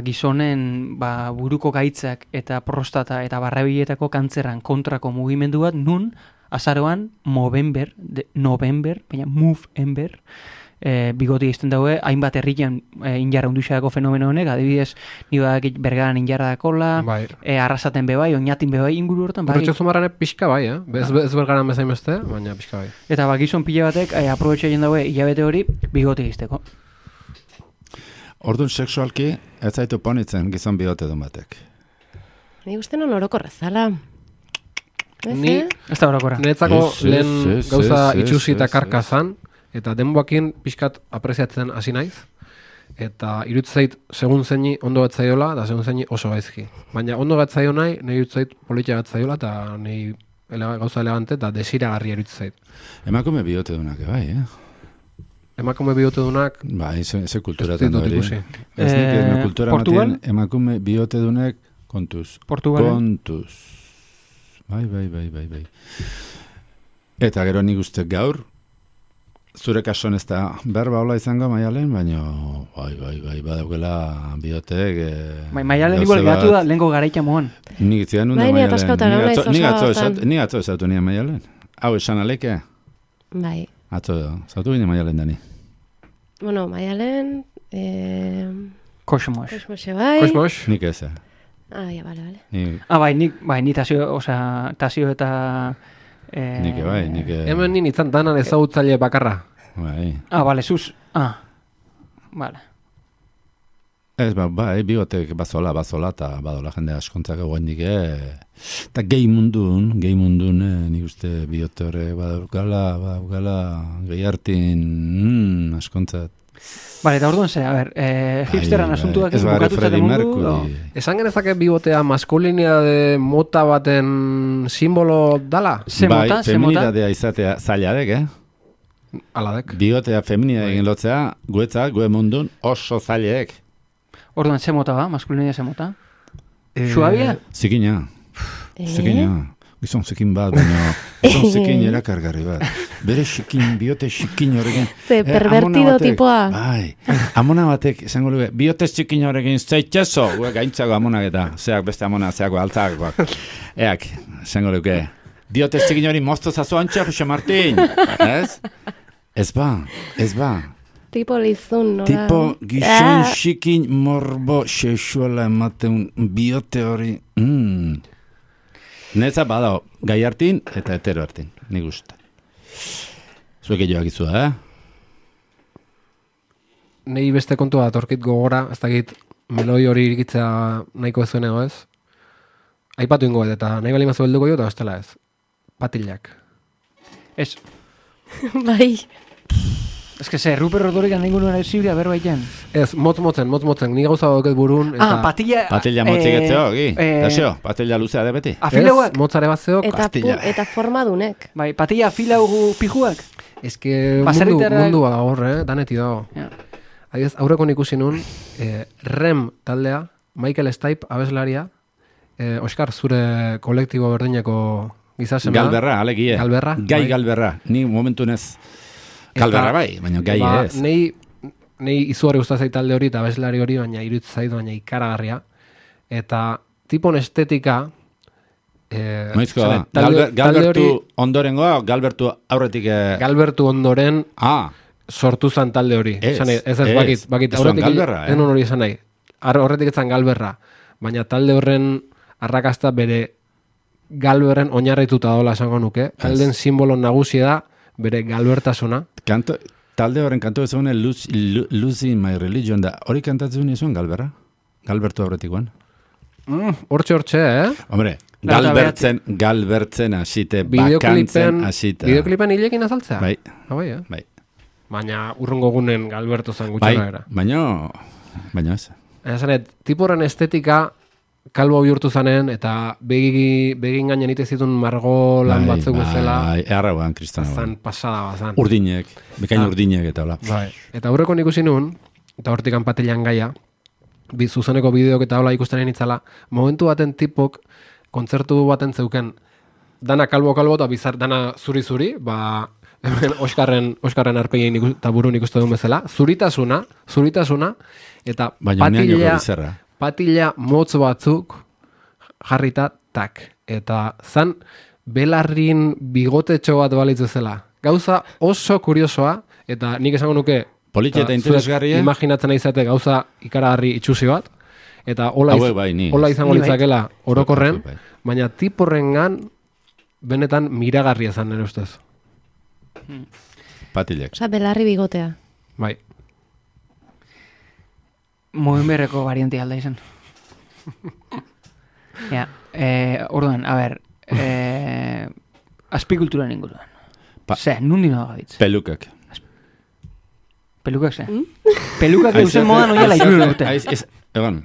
gizonen buruko gaitzak eta prostata eta barrabiletako kantzerran kontrako mugimendu bat, nun azaroan Movember, baina Movember, bigoti izten daue, hainbat herrian injarra unduxadako fenomeno honek, adibidez, nire bergaran injarra dakola, arrasaten bebai, oinatin bebai inguru hortan. Horretxo zumarrane pixka bai, ez bergaran bezain beste, baina pixka bai. Eta gizon pila batek, aprobetxaien daue hilabete hori, bigoti izteko. Orduan sexualki, ez zaitu ponitzen gizon bigote duen batek. Ni uste non orokorra zala. Ni, ez da orokorra. Niretzako lehen gauza itxusi eta karkazan, eta denboakin pixkat apreziatzen hasi naiz, eta irutzait segun zeini ondo gatzaiola, eta segun zeini oso gaizki. Baina ondo gatzaio nahi, nahi irutzait politia gatzaiola, eta nahi gauza elegante, eta desiragarri irutzait. Emakume bigote dunak, bai, Emakume bigote dunak... Bai, ze kulturatan hori. Ez nik kultura Portugal? Emakume bigote dunek kontuz. Portugal? Kontuz. Bai. Eta gero nik uste gaur, zure kasuan ez da berba hola izango Maialen, baina bai, badaukela bigotek... Maialen igual gatu da lehenko garaita moan. Nik itzian nunda Maialen. Nik atzo esatu nien Maialen. Hau esan aleke? Bai. Atzo, zautu gine Maialen dani. Bueno, Maialen... Kosmos. Kosmose bai. Kosmos. Nik ez. Ja, bale. Ni tasio eta... Nik bai, nik... Hemen nien izan danan ezagutzaile bakarra. Bai. Bale, zuz. Bale. Ez, bai, bigotek bazola, eta badola jende askontzak egoendik, eta gehi mundun, nik uste bigote horre, badaukala, gehi hartin, askontzat. Vale, eta orduan ze, a ber, hipsterran asuntuak bukatutzaten mundu. Esan genezake bibotea maskulinidade mota baten simbolo dala? Bai, feminidadea izatea zailadek, Aladek. Bigotea feminidadea egin lotzea, guetzak, gue mundun oso zailadek. Orduan, ze mota ba? Maskulinidadea ze mota? Suabia? Zikina. Gizon zikin bat, baina gizon zikin erakargarri bat. Bere xikin, biote xikin horrekin. Ze pervertido tipoa. Bai, amona batek, esango luke, biote xikin horrekin zeitxezo, gaintzago amonak eta, zeak beste amona, zeako altzakoak. Eak, esango luke, biote xikin hori mozto zazu antxe, Jose Martin, ez? Ez ba. Tipo lizun, nola? Tipo gizon xikin morbo sexuala ematen biote hori. Netza badao, gai hartin eta hetero hartin, nik uste. Zuek joak izua, Nei beste kontua torkit gogora, ez dakit meloi hori irikitzea nahiko ez zuen ego ez. Aipatu ingo eta nahi bali mazu helduko jo eta bestela ez. Patilak. Ez. Bai. Ez que ze, Ruper Rodorigan ningun nuen zibria berbaiten. Ez, motzen, ni gauza doket burun. Eta... patilla... Patilla motzik etzeo, Dasio, patilla luzea de beti. Afilauak? Ez, motzare bat zeok. Eta formadunek. Bai, patilla afilaugu pijuak? Ez que mundua horre, daneti dago. Ja. Adiz, aurreko ikusi nun, Rem taldea, Michael Stipe abeslaria, Oskar, zure kolektibo berdineko gizasema. Galberra, alegie. Galberra. Gai Galberra, ni momentu nez... Galberra bai, baina gai ez. Nei izugarri gustazai talde hori eta abeslari hori, baina iruditz zaitu, baina ikaragarria. Eta tipon estetika... Noizko da, Galbertu ondorengoa, Galbertu aurretik... Galbertu ondoren sortu zan talde hori. Ez bakit. Aurretik enon hori esan nahi. Horretik etzan Galberra. Baina talde horren arrakasta bere Galberren oinarrituta dola esango nuke. Talden simbolo nagusia da bere galbertasuna. Talde horren kantu ez egune Losing My Religion da. Hori kantatzen izuen Galberra? Galbertu aurretikoan? Hortxe, Hombre, galbertzen asite, bakantzen asite. Bideoklipen hilekin azaltzea? Bai. Bai. Baina urrungo gunen Galberto zan gutxera era. Baina ez. Esanet, tiporren estetika kalbo bihurtu zanen, eta begin gainen ite zitun margolan batzuk bezala. Bai, errauan, kristana. Zan pasada bazan. Urdinek, bekain urdinek eta hola. Bai. Eta aurreko ikusi nun, eta hortik anpatilean gaia, zuzeneko bideok eta hola ikustenen itzala, momentu baten tipok, kontzertu baten zeuken, dana kalbo eta bizar, dana zuri-zuri, Oskarren arpegin eta burun ikustu duen bezala, zuritasuna, eta patilla motz batzuk jarrita tak. Eta zan belarrin bigotetxo bat balitzu zela. Gauza oso kuriosoa, eta nik esango nuke politia eta interesgarria. Imaginatzen izate gauza ikaragarri itxusi bat, eta hola izango litzakela orokorren, baina tiporrengan benetan miragarria zan nire ustez. Patillak. Osa, belarri bigotea. Bai. Moenberreko variante alda izan. Ja, orduan, a ber, azpikulturan inguruan. Ze, nundi noa gabitz? Pelukak. Pelukak ze? Pelukak eusen modan oiala irun urte. Egon,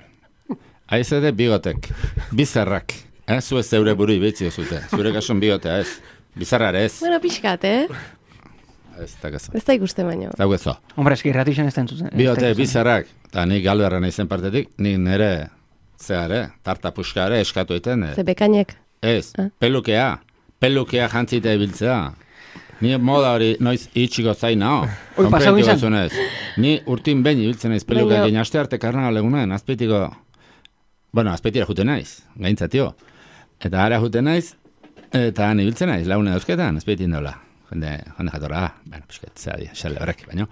aizede bigotek, bizarrak. Zu ez zeure buru ibetzio zute. Zure kasun bigotea ez. Bizarrare ez. Bueno, pixkat, Ez da ikuste baino. Ez da guezo. Hombre, eski irratixen ez da entzuten. Bigote, bizarrak. Eta nik Galberra nahi zen partetik, nik nire, tarta puskare eskatu iten. Ze bekainek. Ez, pelukea jantzita ibiltzea. Ni moda hori noiz itxiko zain nao. Hoi, pasau izan. Ni urtin behin ibiltzen naiz peluka egin aste arte karnaga legunen, azpeitiko... Bueno, azpeitira juten naiz, gaintzatio. Eta ara juten naiz, eta han ibiltzen naiz, laune dauzketan, azpeitin dola. Jende jatorra, pisket, zea di, xale horrek, baino.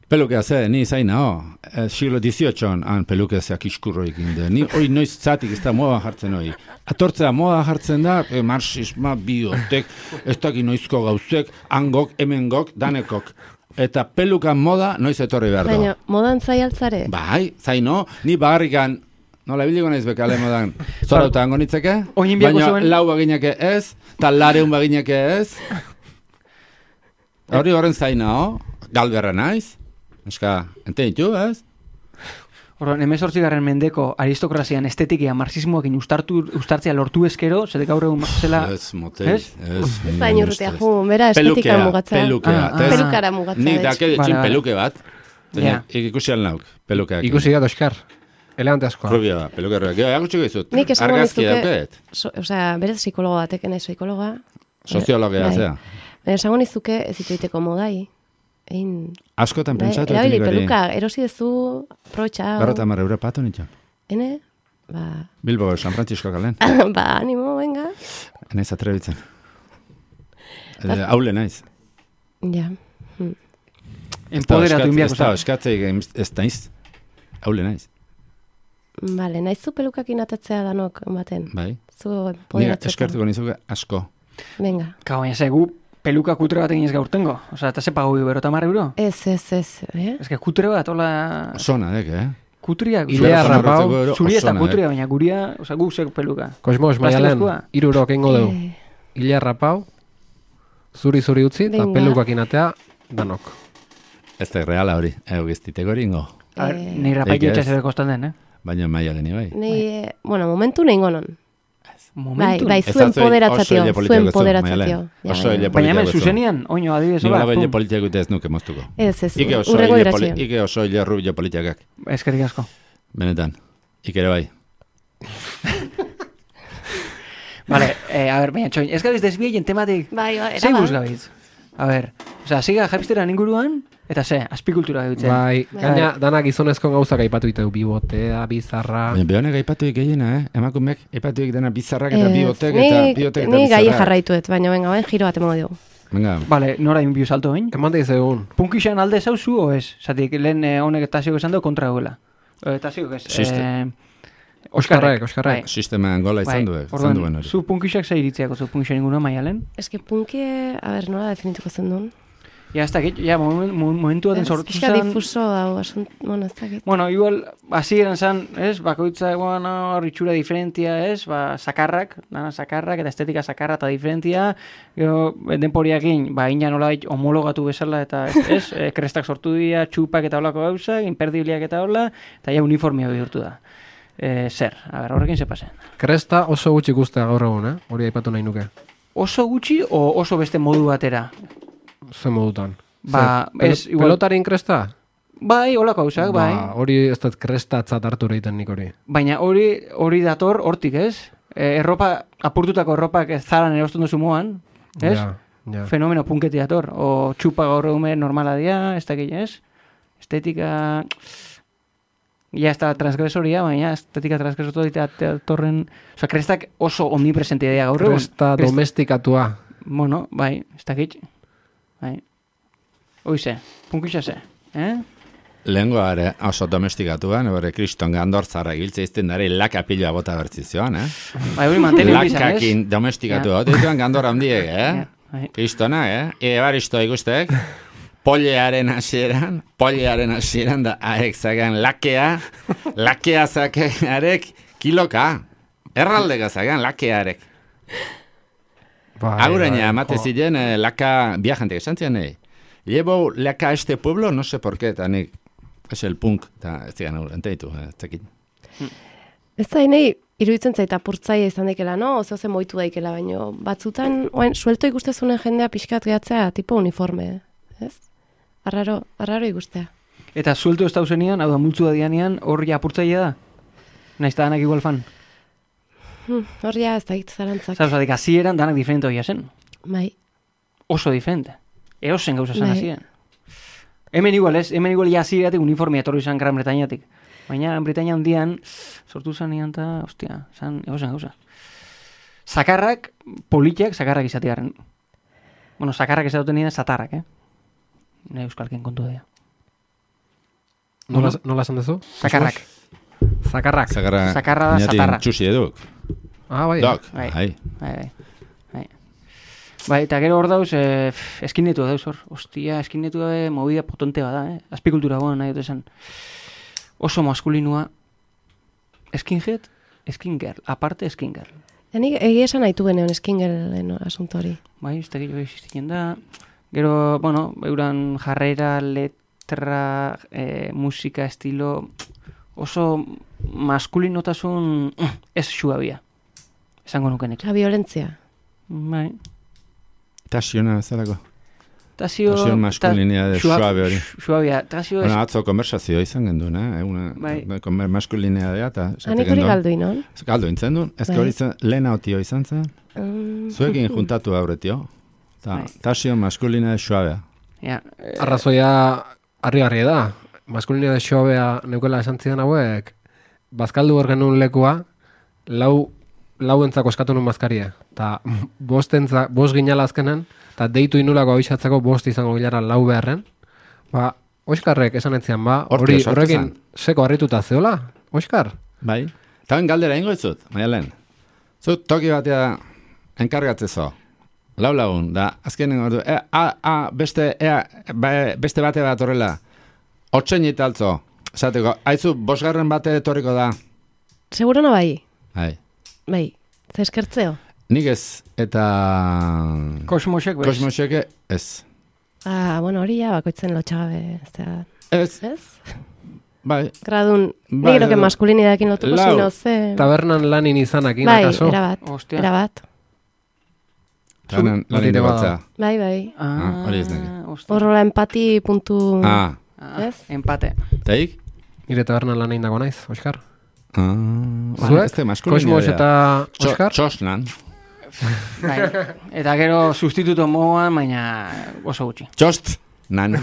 Pelukea ze, ni zain nao, siglo XVIII han pelukea zeak iskurroik inde. Ni hori noiz zatik ez da moda jartzen hori. Atortzea moda jartzen da, marxisma, biotek, ez daki noizko gauzek, hangok, hemengok, danekok. eta pelukan moda noiz etorri behar Baina, da. modan zai altzare? Bai, zaino, ni bagarrikan, nola biliko naiz bekale modan, zorauta hango nitzeke, Oin biako baina zuen. lau baginake ez, eta lareun baginake ez. Hori horren zaina, galberra naiz, eska, ente ditu, ez? Orduan, 18. mendeko aristokrazian estetikia marxismoakin ustartzea lortu eskero, zede gaur egun zela... Ez, motei, Ez? ez. Ez da inurrutea, bera estetika mugatzea. Pelukea. Ah, eta ez- Pelukara mugatzea. Nik dake ditxin Vale. peluke bat. Ja. Ikusi alnauk, pelukeak. Ikusi da, Oskar. Elegante askoa. Rubia da, pelukerroak. Gero, erakutsi gizut. Nik esango Argazki nizuke- dauket. Osea, berez psikologo batek, nahi psikologa. Soziologia, Bai. zea. Baina esango nizuke ez dituiteko modai. Egin, Askotan bai, pentsatu. erabili nik hori. peluka, erosi dezu, aprobetxa. 50 euro patu nitxo. Ene? Ba, Bilbo, San Francisco kalen. ba, animo, venga. Naiz atrebitzen. Haule naiz. Ja. Empoderatu inbiako Ez da, zara. eskatzeik ez naiz. Haule naiz. Vale, nahiz zu pelukakin atatzea danok baten. Bai. Zu Nire empoderatzeko. eskertuko nizuke asko. Venga. Ka, baina zegu peluka kutre bat egin ez gaurtengo. Osea, eta ze pago bero tamar euro? Ez. Ez que kutre bat, hola... Sona, dek, Kutria, Ilea rapau, zuri eta osona, kutria, baina guria, osea, gu zek peluka. Kosmos, maialen, Plastikozkoa? 3 euro kengo dugu. Eh, Ilea rapau, zuri utzi, eta Venga. pelukakin atea, danok. Ez da reala hori, giztiteko ringo. A ver, Eh, nei rapaik Eik ez. etxas ere kostan den, eh? Baina maialen bai. Nei, bueno, momentu nahi gonon. Bai, Momentu. bai, Ez zuen atzoi, poderatzatio, oso hile zuen politiako zu, poderatzatio. Maialen. Ja, Oso ja. hile Baina hemen politiako zu. zuzenian, oino adibidez, Ni hola, hola pum. politiako ez nuke moztuko. Ez, Ike oso urrego hile iratxio. Ike oso hile rubio politikak. Eskerrik asko. Benetan. Ikere bai. Vale, a ver, baina txoin, ez gabiz desbieien tematik. Bai, bai, Zei era guz ba. gabiz? A ver, osea, siga japizteran inguruan, eta ze, azpikultura gabitzen. Bai, gaina danak gizonezko gauzak aipatu ditu, bibotea, bizarra. Baina behonek aipatuik gehiena, Emakumeek aipatuik dena bizarrak eta Ez, bibotek eta bibotek eta Ni gai bizarrak. jarraituet, baina venga, bain giro bat emango dugu. Venga, Vale, nora inbiu salto bain? Eman dizegun. Punkixan alde zauzu, o ez? Zatik, lehen honek Tasiok esan du kontra duela. Tasiok ez. Siste. Oskarrek. Bai. sisteman gola izan duen Orduan, hori. zu punkixak zei iritziako zu punkixan inguruan maialen? Eske punkie, a ber, nola definituko zen duen? Ja, ez dakit, ja, momentu baten sortu Pixka zen... difuso dago, asunt, bueno, ez dakit. Bueno, igual, hasieran zan, ez, bakoitza, bueno, ritxura diferentia, ez, ba, sakarrak, dana sakarrak, eta estetika sakarra eta diferentia, gero, denporiakin, ba, ina nola homologatu bezala, eta, ez, krestak sortu dira, txupak eta holako gauzak, imperdibliak eta hola, eta ja uniformia bihurtu da. Zer, a ber, horrekin ze pasen. Kresta oso gutxi ikustea gaur egun, hori aipatu nahi nuke. Oso gutxi, o oso beste modu batera? Zer modutan. Ba, Zer, ez, igual- pelotarin kresta? Bai, holako gauzak, bai. Ba, hori ez dut krestatzat hartu egiten nik hori. Baina hori dator hortik, ez? Erropa, apurtutako erropak zaran erosten duzu moan, ez? Ja. Fenomeno punketi dator. O txupa gaur egume normala dia, ez dakit, ez? Estetika... Ja, ez da transgresoria, baina estetika transgresotu datorren... Osa, krestak oso omnipresentia dira gaur egun. Kresta domestikatua. Bueno, bai, ez dakit. Bai. Oize, punkitxa ze, eh? Lehengo are oso domestikatua, nebore kriston gandortzara giltze izten dara laka pilua bota bertzizioan, Bai, hori mantenu bizan, ez? Lakakin domestikatu hau, dituan gandor handiek, Ja, bai. Kristona, Ebaristo ikustek, pollearen hasieran da aek zagan lakea zakearek kiloka. Erraldeka zagan lakearek. Bai, Aguraina, bai, amate jo. ziren laka viajantek, esan zian, llevo laka a este pueblo, no sé por qué, eta nik, es el punk, eta ez zigan enteitu, ez dakit. Ez da, nahi, iruditzen zaita apurtzaia izan daikela, no? Oso zen moitu daikela, baino batzutan, oain, suelto ikustezunen jendea pixkat gehatzea, tipo uniforme, ez? Arraro ikustea. Eta suelto ez dauzenian, hau da multzu da dianean, hori apurtzailea da? Naiz da danak igual fan. Hor ja ez da zarantzak. Zatik, hasieran danak diferente hoia zen. Bai. Oso diferente. Eosen gauza zen Bai. hasieran. Hemen igual ez, hemen igual ja hasieratik uniformia etorri izan Gran Bretañatik. Baina Britainia handian sortu zanean eta, ostia, zan eosen gauza. Sakarrak, politiak, sakarrak izatearen. Bueno, sakarrak izaten nien satarrak, Ne euskalken kontu da. Nola esan duzu? Sakarrak. Zakarrak. Sakarra da satarra. Txusi eduk. Ah, bai. Dok, Bai. bai. Bai. Bai, eta gero hor dauz, eskinetua dauz hor. Ostia, eskinetua movida potente bada, azpikultura goan nahi dut esan. Oso maskulinua, skinhead, skin girl, aparte skin girl. Nik egia esan haitu geneon eskingelen asunto hori. Bai, ez da gehiago existitzen da. Gero, bueno, euran jarrera, letra, musika, estilo, oso maskulinotasun ez suabia. Esango nukenek. La violentzia. Bai. Tasiona bezalako. Tasio maskulinidade suabe hori. Suabia. Tasio Bueno, atzo konversazio izan genduen, Bai. Maskulinidadea eta Hanik hori galdu inon? Galdu intzen duen, ez Bai. hori lehena otio izan zen, zuekin juntatu aurretio. Bai. Tasio maskulinidade suabea. Ja, Arrazoia harri da. Maskulinidade xoabea neukela esan zidan hauek, bazkaldu hor genuen lekua, lauentzako eskatu nun mazkaria. Ta bost ginala azkenen, eta deitu inulako abixatzeko bost izango gilara lau beharren. Ba, Oskarrek esan etzian, ba, Hortik horrekin sartu seko harrituta zeola, Oskar? Bai. Eta ben galdera ingo itzut, Maialen. Zut toki batea enkargatzezo. Lau lagun, da, azkenen ordu, beste bate bat horrela, 8 italtzo, esateko, haizu, 5. bate etorriko da. Segurona bai. Bai. Bai. Ze eskertzeo. Nik ez, eta... Kosmosek bez. Kosmoseke ez. Bueno, hori ja bakoitzen lotxagabe. Ez, Ez? bai. Gradun, Bai, nik que maskulinidadekin lotuko lau. zino, ze... Tabernan lanin izanakin, Bai, akaso? Ostia. erabat. Lanen Hori batzea. Bai, bai. hori ez neke. Ostia. Horrola empati puntu... ez? Empate. Taik? Nire tabernan lan egin dago naiz, Oskar? Zuek? Ez Kosmos eta Oskar? Txosnan. Bai. Eta gero sustituto moan, baina oso gutxi. Txost nan.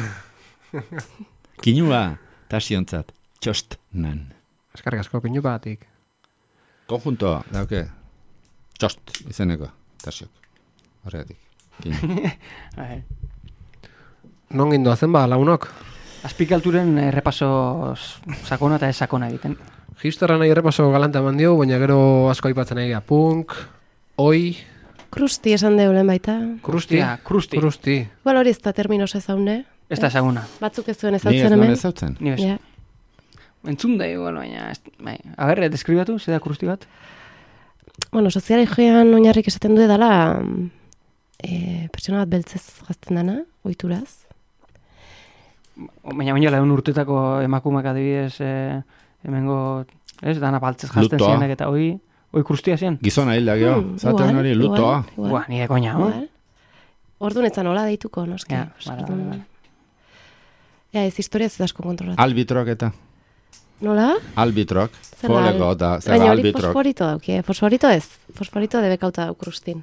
Kinua tasiontzat. Txost nan. Eskarrik asko, pinu batik. Konjunto, dauke. Txost izeneko. Tasiok. Horregatik. Kinu. Bai. Non gindoa zen ba, lagunok? Azpikalturen repaso sakona eta ez sakona egiten. Hipsterra nahi errepaso galanta eman dio, baina gero asko aipatzen egia. Punk, oi, Krusti esan deulen baita. krusti. Hostia, krusti. Krusti. Igual hori ez da terminos ezaune. Ez da ezaguna. Batzuk ez zuen Ni ez ezautzen nuen hemen. ezautzen. Ni bez. Ja. Entzun da igual, baina... Bai. A ber, deskribatu, ze da krusti bat? Bueno, sozialegian oinarrik esaten du edala pertsona bat beltzez gazten dana, ohituraz. Baina lagun urtetako emakumeak adibidez hemengo, ez, dana baltzez jazten Lutoa. zirenak eta hoi krustia ziren. Gizona hilda geho. Zaten hori lutoa. Buah, nire koina, Orduan etzan hola deituko, noski. Ja, bale. Ja, ez historia ez asko kontrolatu. Albitrok eta. Nola? Albitrok. Zer da Foleko eta zer Baina da hori albitrok. fosforito dauki, Fosforito ez. Fosforito debekauta dau krustin.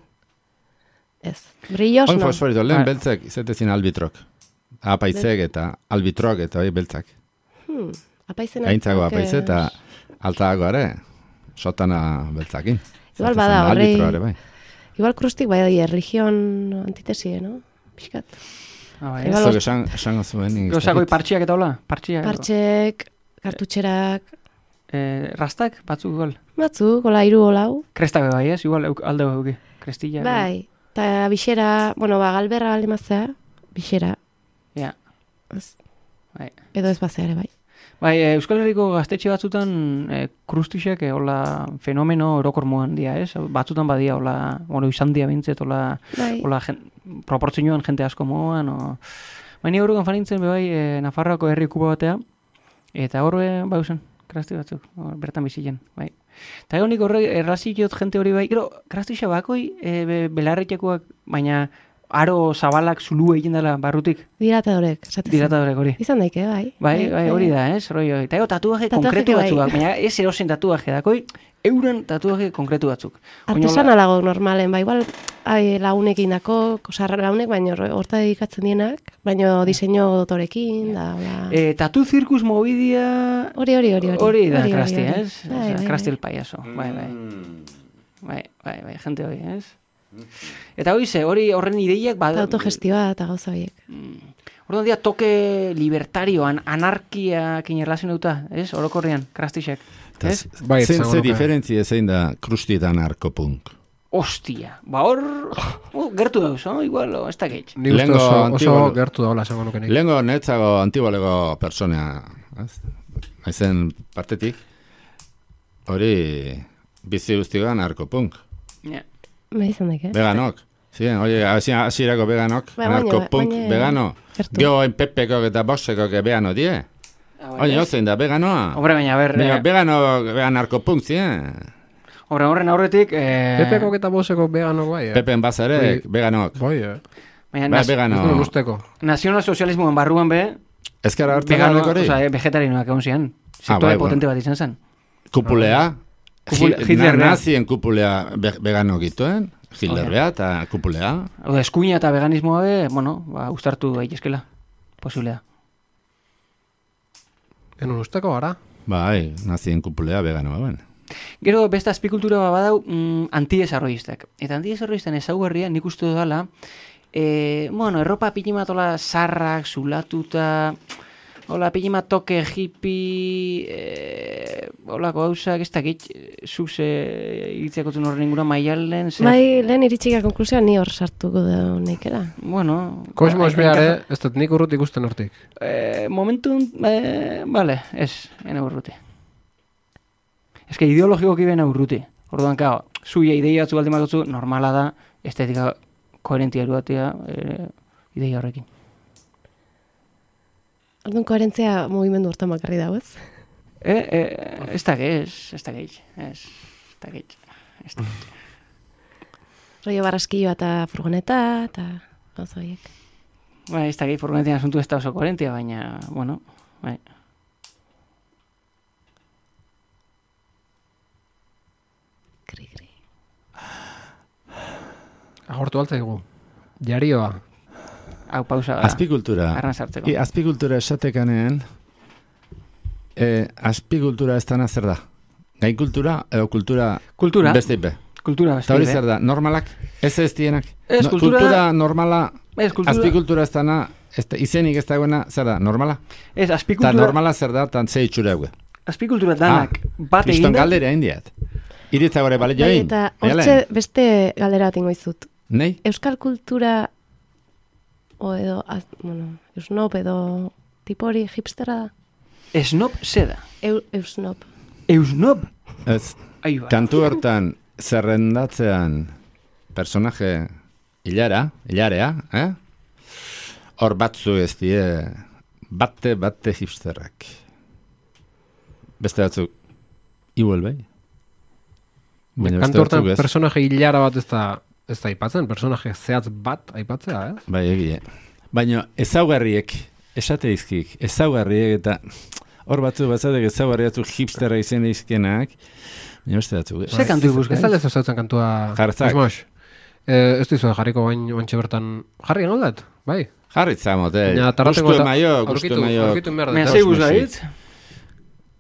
Ez. Brillos, Hoi no. fosforito, lehen Bai. beltzek izetezin albitrok. Apaizek eta albitrok eta hori beltzak. Apaizena. Gaintzago apaize eta altzago ere. Sotana beltzakin. Igual Zatezen bada, horrei- albitro ere bai. Igual krustik bai religion antitesie, no? Piskat. Bai. Igual Zok esango zuen. Gozakoi partxiak eta hola? Partxiak. Partxek, kartutxerak, Rastak, batzuk igual. batzuk, hola, hiru holau. Krestak bai, ez? Igual alde euki. Krestilla. Bai. Eta bixera, bueno, galberra galimaztea, bixera. Ja. Ez. Bai. Edo ez bazea ere, bai. Bai, Euskal Herriko gaztetxe batzutan krustisek hola fenomeno orokor moan dia, ez? Batzutan badia hola, bueno, izan dia bintzet, hola, Bai. hola proportzioan jente asko moan, baina horrekan fanintzen bai Nafarroako herri kuba batea, eta horre bauzen, krasti batzuk, bertan bizilen, bai. Eta egon nik horre erraziot jente hori bai, gero, krastisa bakoi belarretxekoak, baina aro zabalak zulu egin dela barrutik, Dilatadorek, esatez. dilatadorek hori. Izan daike, bai. Bai, hori da, ez? Rollo. Eta tatuaje Tatuaje konkretu bai. batzuak, baina ez erosen tatuaje dakoi, euren tatuaje konkretu batzuk. Artesanalago normalen, bai, igual lagunekin dako, kosarra lagunek, baina horta dedikatzen dienak, baina diseño dotorekin, da, hola. Tatu zirkus mobidia... Hori da, krasti, ez? Krasti el payaso, bai. Bai, jente hori, ez? Eta hori horren ideiak... Autogestioa eta gauza horiek. Orduan dia toke libertarioan, anarkiakin erlazionauta, ez? Orokorrean, krastisek. Ez? Bai, Ze izango nuke. diferentzia zein da krusti eta narkopunk? Ostia, ba hor, gertu dauz, igual, ez da gehiago. Ni uste Lehengo oso Antibolo- gertu daula esango nuke nik. Lehengo netzago antibolego pertsonea, ez? Haizen partetik, hori bizi guztigan narkopunk. Ja. Ba izan daik, Veganok. Ziren, oie, hasierako veganok, Bai, baina- narkopunk baina- vegano. gertu. Geo Pepekok eta Bosekok vegano die. Oie, ozein da, veganoa. Hombre, baina, ber, Baina vegan narkopunk ziren. horren aurretik, Pepeko eta boseko veganok bai, Pepen bazarek, veganok. Bai, baina, Bai, vegano. Ez duen usteko. nazionalsozialismoen barruan be, Ezkara hartzen vegano, garrek hori? oza, vegetarinoak egon zian. Sektore bai, potente bat izan zen. Kupulea, Hitler bea. nazien kupulea vegano gituen, Hitler bea eta kupulea. Hau da, eskuina eta veganismoa be, bueno, ba, ustartu daitezkela. Posiblea. Enun usteko gara. Bai, nazien kupulea veganoa ben. Gero beste azpikultura badau antidesarrollistak. Eta antidesarrollisten ezaugarria nik uste dudala, bueno, erropa pilimatola sarrak, zulatuta, hola, pilimatoke hippie, holako gauzak, ez dakit, zuze iritziakotzen horren ingura maialen, zer... Bai, lehen iritsika konklusioa ni hor sartuko da nekera. Bueno... Kosmos behare, ez dut nik urrut ikusten hortik. Momentun, vale, ez, ena urruti. Ez que ideologikoki bena urruti. Orduan, kao, zuia ideia batzu baldin batzu, normala da, estetika koherentia eruatea ideia horrekin. Orduan koherentzia mugimendu hortan bakarri dago, ez? Ez da gehi. Rollo barraskilloa eta furgoneta, eta gauza horiek. Bai, ez da gehi furgonetian asuntu ez da oso koherentia, baina, bueno, bai. Kri. Agortu altzaigu. Jarioa. Hau pausa da. Azpikultura. Arran sartzeko. Azpikultura esatekanean, azpikultura ez dana zer da? Gainkultura edo kultura Kultura. beste ipe? Kultura Eta hori beste. zer da? Normalak? Ez dienak? Ez, kultura- Kultura normala, Ez, kultura... azpikultura ez dana, izenik ez dagoena, zer da? Normala? Ez, Eta azpikultura... normala zer da, eta ze itxura egue. Azpikultura danak bat Kriston eginda... galdera indiat. Iritza gore bale Bai, join. eta hortxe beste galdera bat ingo izut. Nei? Euskal kultura, o edo, bueno, eusnop edo tipo hori hipstera da? Esnop zeda. Eusnop. Eusnop? Ez, Ahi ba. kantu hortan zerrendatzean personaje hilarea, hor batzu ez die bate hipsterrak. Beste batzuk igual bai. Baina beste Kantu hortan batzuk ez. personaje hilara bat ez da aipatzen, personaje zehatz bat aipatzea, ez? Bai, egie. Baina ezaugarriek, esate izkik, ezaugarriek eta hor batzu batzatek ezaugarri batzuk hipsterra izen izkenak, baina beste batzuk. Ze kantu ibuzka? Ez da lezo zautzen kantua... Jartzak. Kosmos. Ez dizu jarriko bain oantxe bertan... Jarri enoldat, bai. Jarritza mote, Baina tardateko gustu eta maio, aurkitu gustu maio. behar Baina dut. zei guzait?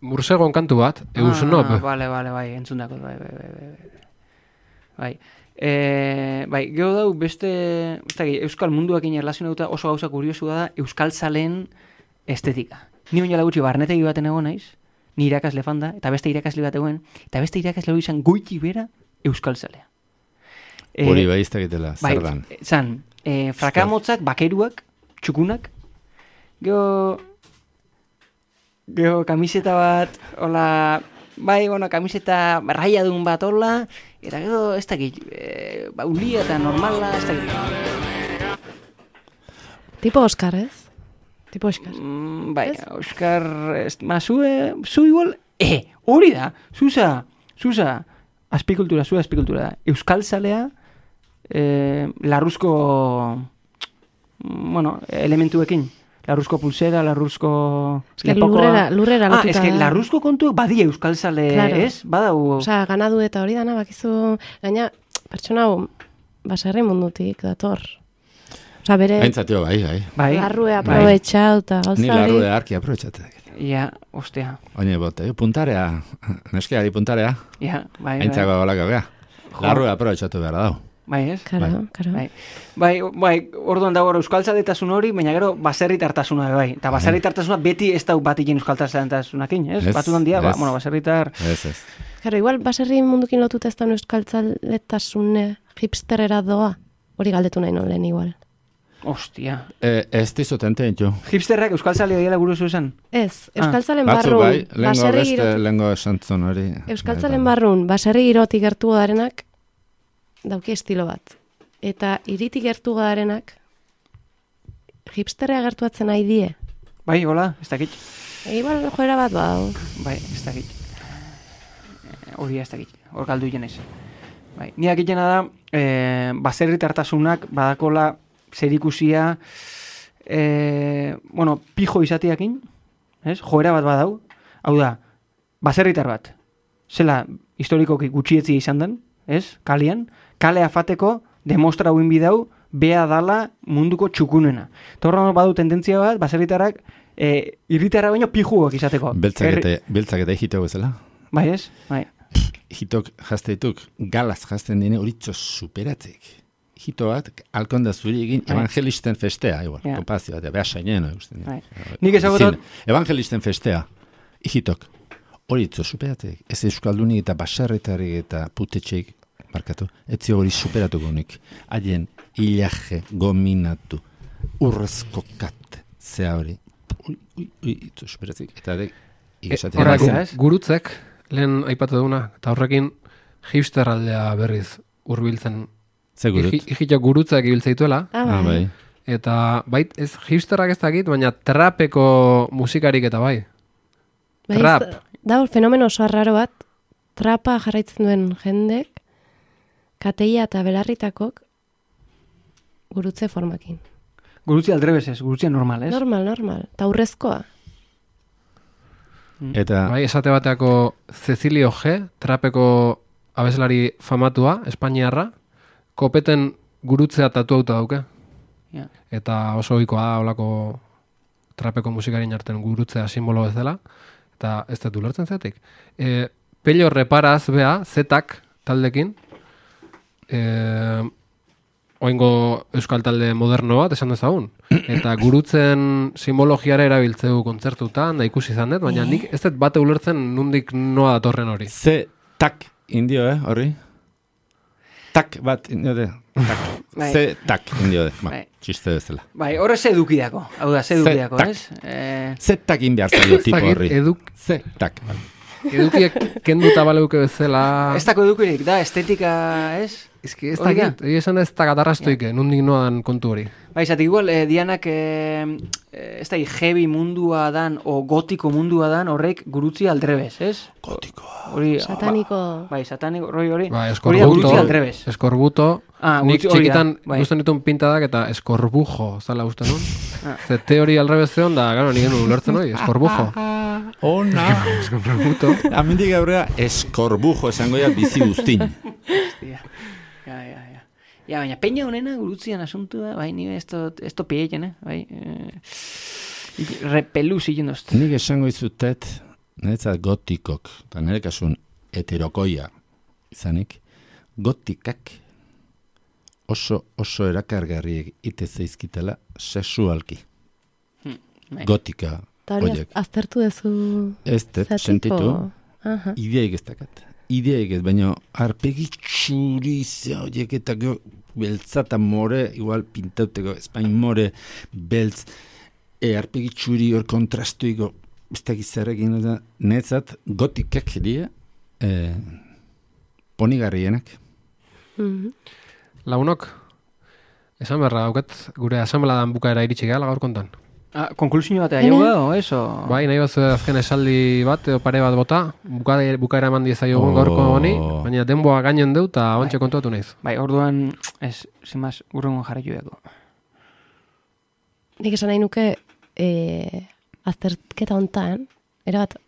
Mursegon kantu bat, Eusnop. Vale, bai, entzundako, bai. Bai, gero dau beste, euskal munduakin erlazionatuta oso gauza kuriosu da euskal zaleen estetika. Ni oinala gutxi barnetegi baten egon naiz, ni irakasle fanda, eta beste irakasle bat egon, eta beste irakasle hori izan goiti bera euskal zalea. Hori bai iztekitela, Bai, zer dan. zan, frakamotzak, bakeruak, txukunak, gero kamiseta bat, hola, bai, bueno, kamiseta raiadun bat hola, eta gero, ez dakit, ulia eta normala, ez dakit. Tipo Oscar, ez? Tipo Oscar. Bai, Ez? Oscar, zu igual, hori da, zuza, azpikultura da. Euskal zalea, larruzko, bueno, elementuekin. Larruzko pulsera, larruzko Eske lurrera lotuta. eske larruzko kontuak badia euskal zale, Claro. ez? Badau... Osea, ganadu eta hori dana, bakizu, gaina, pertsona hau, baserri mundutik dator. Osea, bere Aintzatio, bai. Bai, larrue aprobetxau eta Ni gauza larru hori. earki aprobetxatek. ja, ostea, Oine bote, puntarea, neskeari puntarea, ja, bai, aintzako golako gea. Larru aprobetxatu behar dau. bai, ez? Karo. Bai, orduan dago euskaltzaletasun hori, baina gero baserritartasuna bai. Eta baserritartasuna beti ez dau bat egin euskaltzaletasuna ez? Ez, Batzutan dia, ez. baserritar... Ez. Claro, igual baserri mundukin lotuta ez da euskaltzaletasune hipsterera doa. Hori galdetu nahi non lehen igual. Ostia. Ez dizut ententu. Hipsterrak euskaltzalea diela gure zuzan? Ez, euskaltzalen Batzu barrun, bai, baserri girotik. lehengo esantzun hori. Euskaltzalen barrun, baserri girotik gertu darenak, dauki estilo bat. Eta iritik gertu darenak, hipsterrea gertuatzen nahi die. Bai, hola, ez dakit. Igual joera bat badu. Bai, ez dakit. Hori ez dakit, hor galdu jenez. Bai, ni dakitena da, baserritartasunak badakola zerikusia, pijo izateakin, ez? Joera bat badau, hau da, baserritar bat, zela historikoki gutxietzi izan den, ez? Kalean, kalea fateko demostra huen bidau, bea dala munduko txukunena. Torra badu tendentzia bat, baserritarrak irritarra baino pijuak izateko. Beltzak eta hitok bezala. Bai ez? Bai. Hitok jazteituk, galaz jazten dine horitzo superatzek. Hito bat, alkonda zuri egin evangelisten festea, igual, kompazio bat, beha sainena. Nik ezagutot... Evangelisten festea, hitok, horitzo superatzek. Ez euskaldunik eta basarretarik eta putetxeik, markatu, etzi hori superatuko nik. Haien ilaje gominatu, urrezko kat, zea hori. Itzo superatzik. Eta horrekin, gurutzek, lehen aipatu duguna, eta horrekin hipster aldea berriz hurbiltzen. Ze gurut? Ikitok gurutzek ibiltzeituela. Bai. Eta ez hipsterrak ez dakit, baina trapeko musikarik eta bai. Trap. Da fenomeno oso arraro bat, trapa jarraitzen duen jendek, kateia eta belarritakok gurutze formakin. Gurutzi aldrebez ez, gurutzia normal, ez? Normal. Ta urrezkoa. Eta... Bai, esate bateako Cecilio G, trapeko abeslari famatua, Espainiarra, kopeten gurutzea tatu auta dauke. Yeah. Eta oso ohikoa da olako trapeko musikarin artean gurutzea simbolo ez dela. Eta ez dut ulertzen zetik. Pello reparaz bea, zetak taldekin, oingo euskal talde moderno bat esan dezagun. Eta gurutzen simbologiara erabiltzeu kontzertutan, da ikusi izan dut, baina nik ez dut bate ulertzen nundik noa datorren hori. Ze tak indio, horri? Tak bat indio de. Ze tak indio de. Txiste bezala. Bai, horre ze edukideako. Hau da, ze edukideako, ez? Ze tak inbiar zailo tipo horri. Ze tak. Edukiek kenduta baleuke bezala... Ez dako edukirik, da, estetika, ez? Ez dakit, esan ez da gatarrastoike, nundik noan kontu hori. Bai, zatik igual, Dianak, ez da, heavy mundua dan, o gotiko mundua dan, horrek gurutzi aldrebez, ez? Gotikoa. Sataniko. Bai, sataniko, hori. Bai, eskorbuto, nik txikitan guztan ditun pintadak eta eskorbujo, zala guztan nun. Ze teori aldrebez zeon da, gano, nik genuen ulertzen hori, eskorbujo. Ona. Eskorbuto. Amindik aurrera, eskorbujo esango ya bizi guztin. Ja, baina peña honena gurutzian asuntu da, bai, nire esto pieien, bai, repelu zilen dozte. Nik esango izutet, niretzat gotikok, eta nire kasun heterokoia izanik, gotikak oso erakargarriek ite zeizkitela sexualki. Gotika horiek. Aztertu dezu... Ez dut, sentitu, ideaik ez dakat. Ideaik ez, baina arpegi txuri horiek eta beltzata more, igual pintauteko, espain more, beltz, arpegi txuri hor kontrastuiko, ez dakiz zerrekin, netzat gotikak die, ponigarrienak. Lagunok, esan berra dauket, gure asambladan bukaera iritsi gehala gaur kontan. Konklusio batea jau da, o eso? Bai, nahi bat azken esaldi bat, edo pare bat bota, bukaera eman diezaiogun gaurko honi, baina denboa gainen deu, eta ontsa kontuatu nahiz. Bai, orduan, ez, zimaz, urrengon jarraitu dago. Nik esan nahi nuke, azterketa hontan, erabat,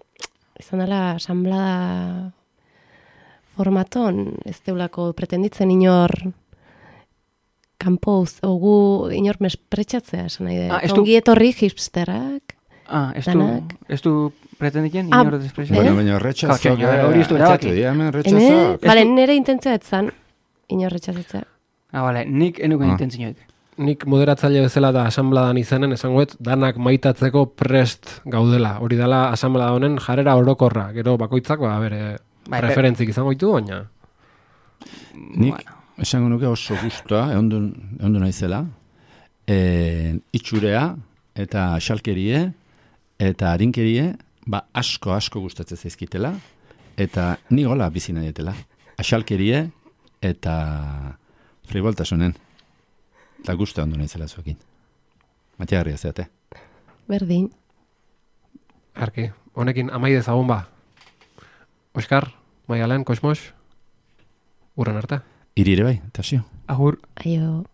izan dela asamblada formaton, ez deulako pretenditzen inor kanpoz, ogu inor mespretxatzea, esan nahi da. Ongi etorri hipsterak, danak. Ez du pretendiken inor despretxatzea? Baina retxazok. Hori ez du erabaki. Bale, nire intentzia etzan, inor retxatzea. Bale, nik enuken intentzioek. Nik moderatzaile bezala da asambladan izanen, esangoet, danak maitatzeko prest gaudela. Hori dela asamblada honen jarrera orokorra. Gero bakoitzak, bere Bai, referentzik izango ditu, baina... Nik esango nuke oso guztua, egon naizela, itxurea eta xalkerie eta harinkerie, asko gustatzen zaizkitela, eta ni gola bizi nahietela. Axalkerie eta frivoltasunen. Eta guztua ondo naizela zuekin. Matiagarria zeate. Berdin. Arki, honekin amai dezagun ba. Oskar, Maialen, Kosmos, urren arte. Iri ere bai, Tasio. Agur. Aio.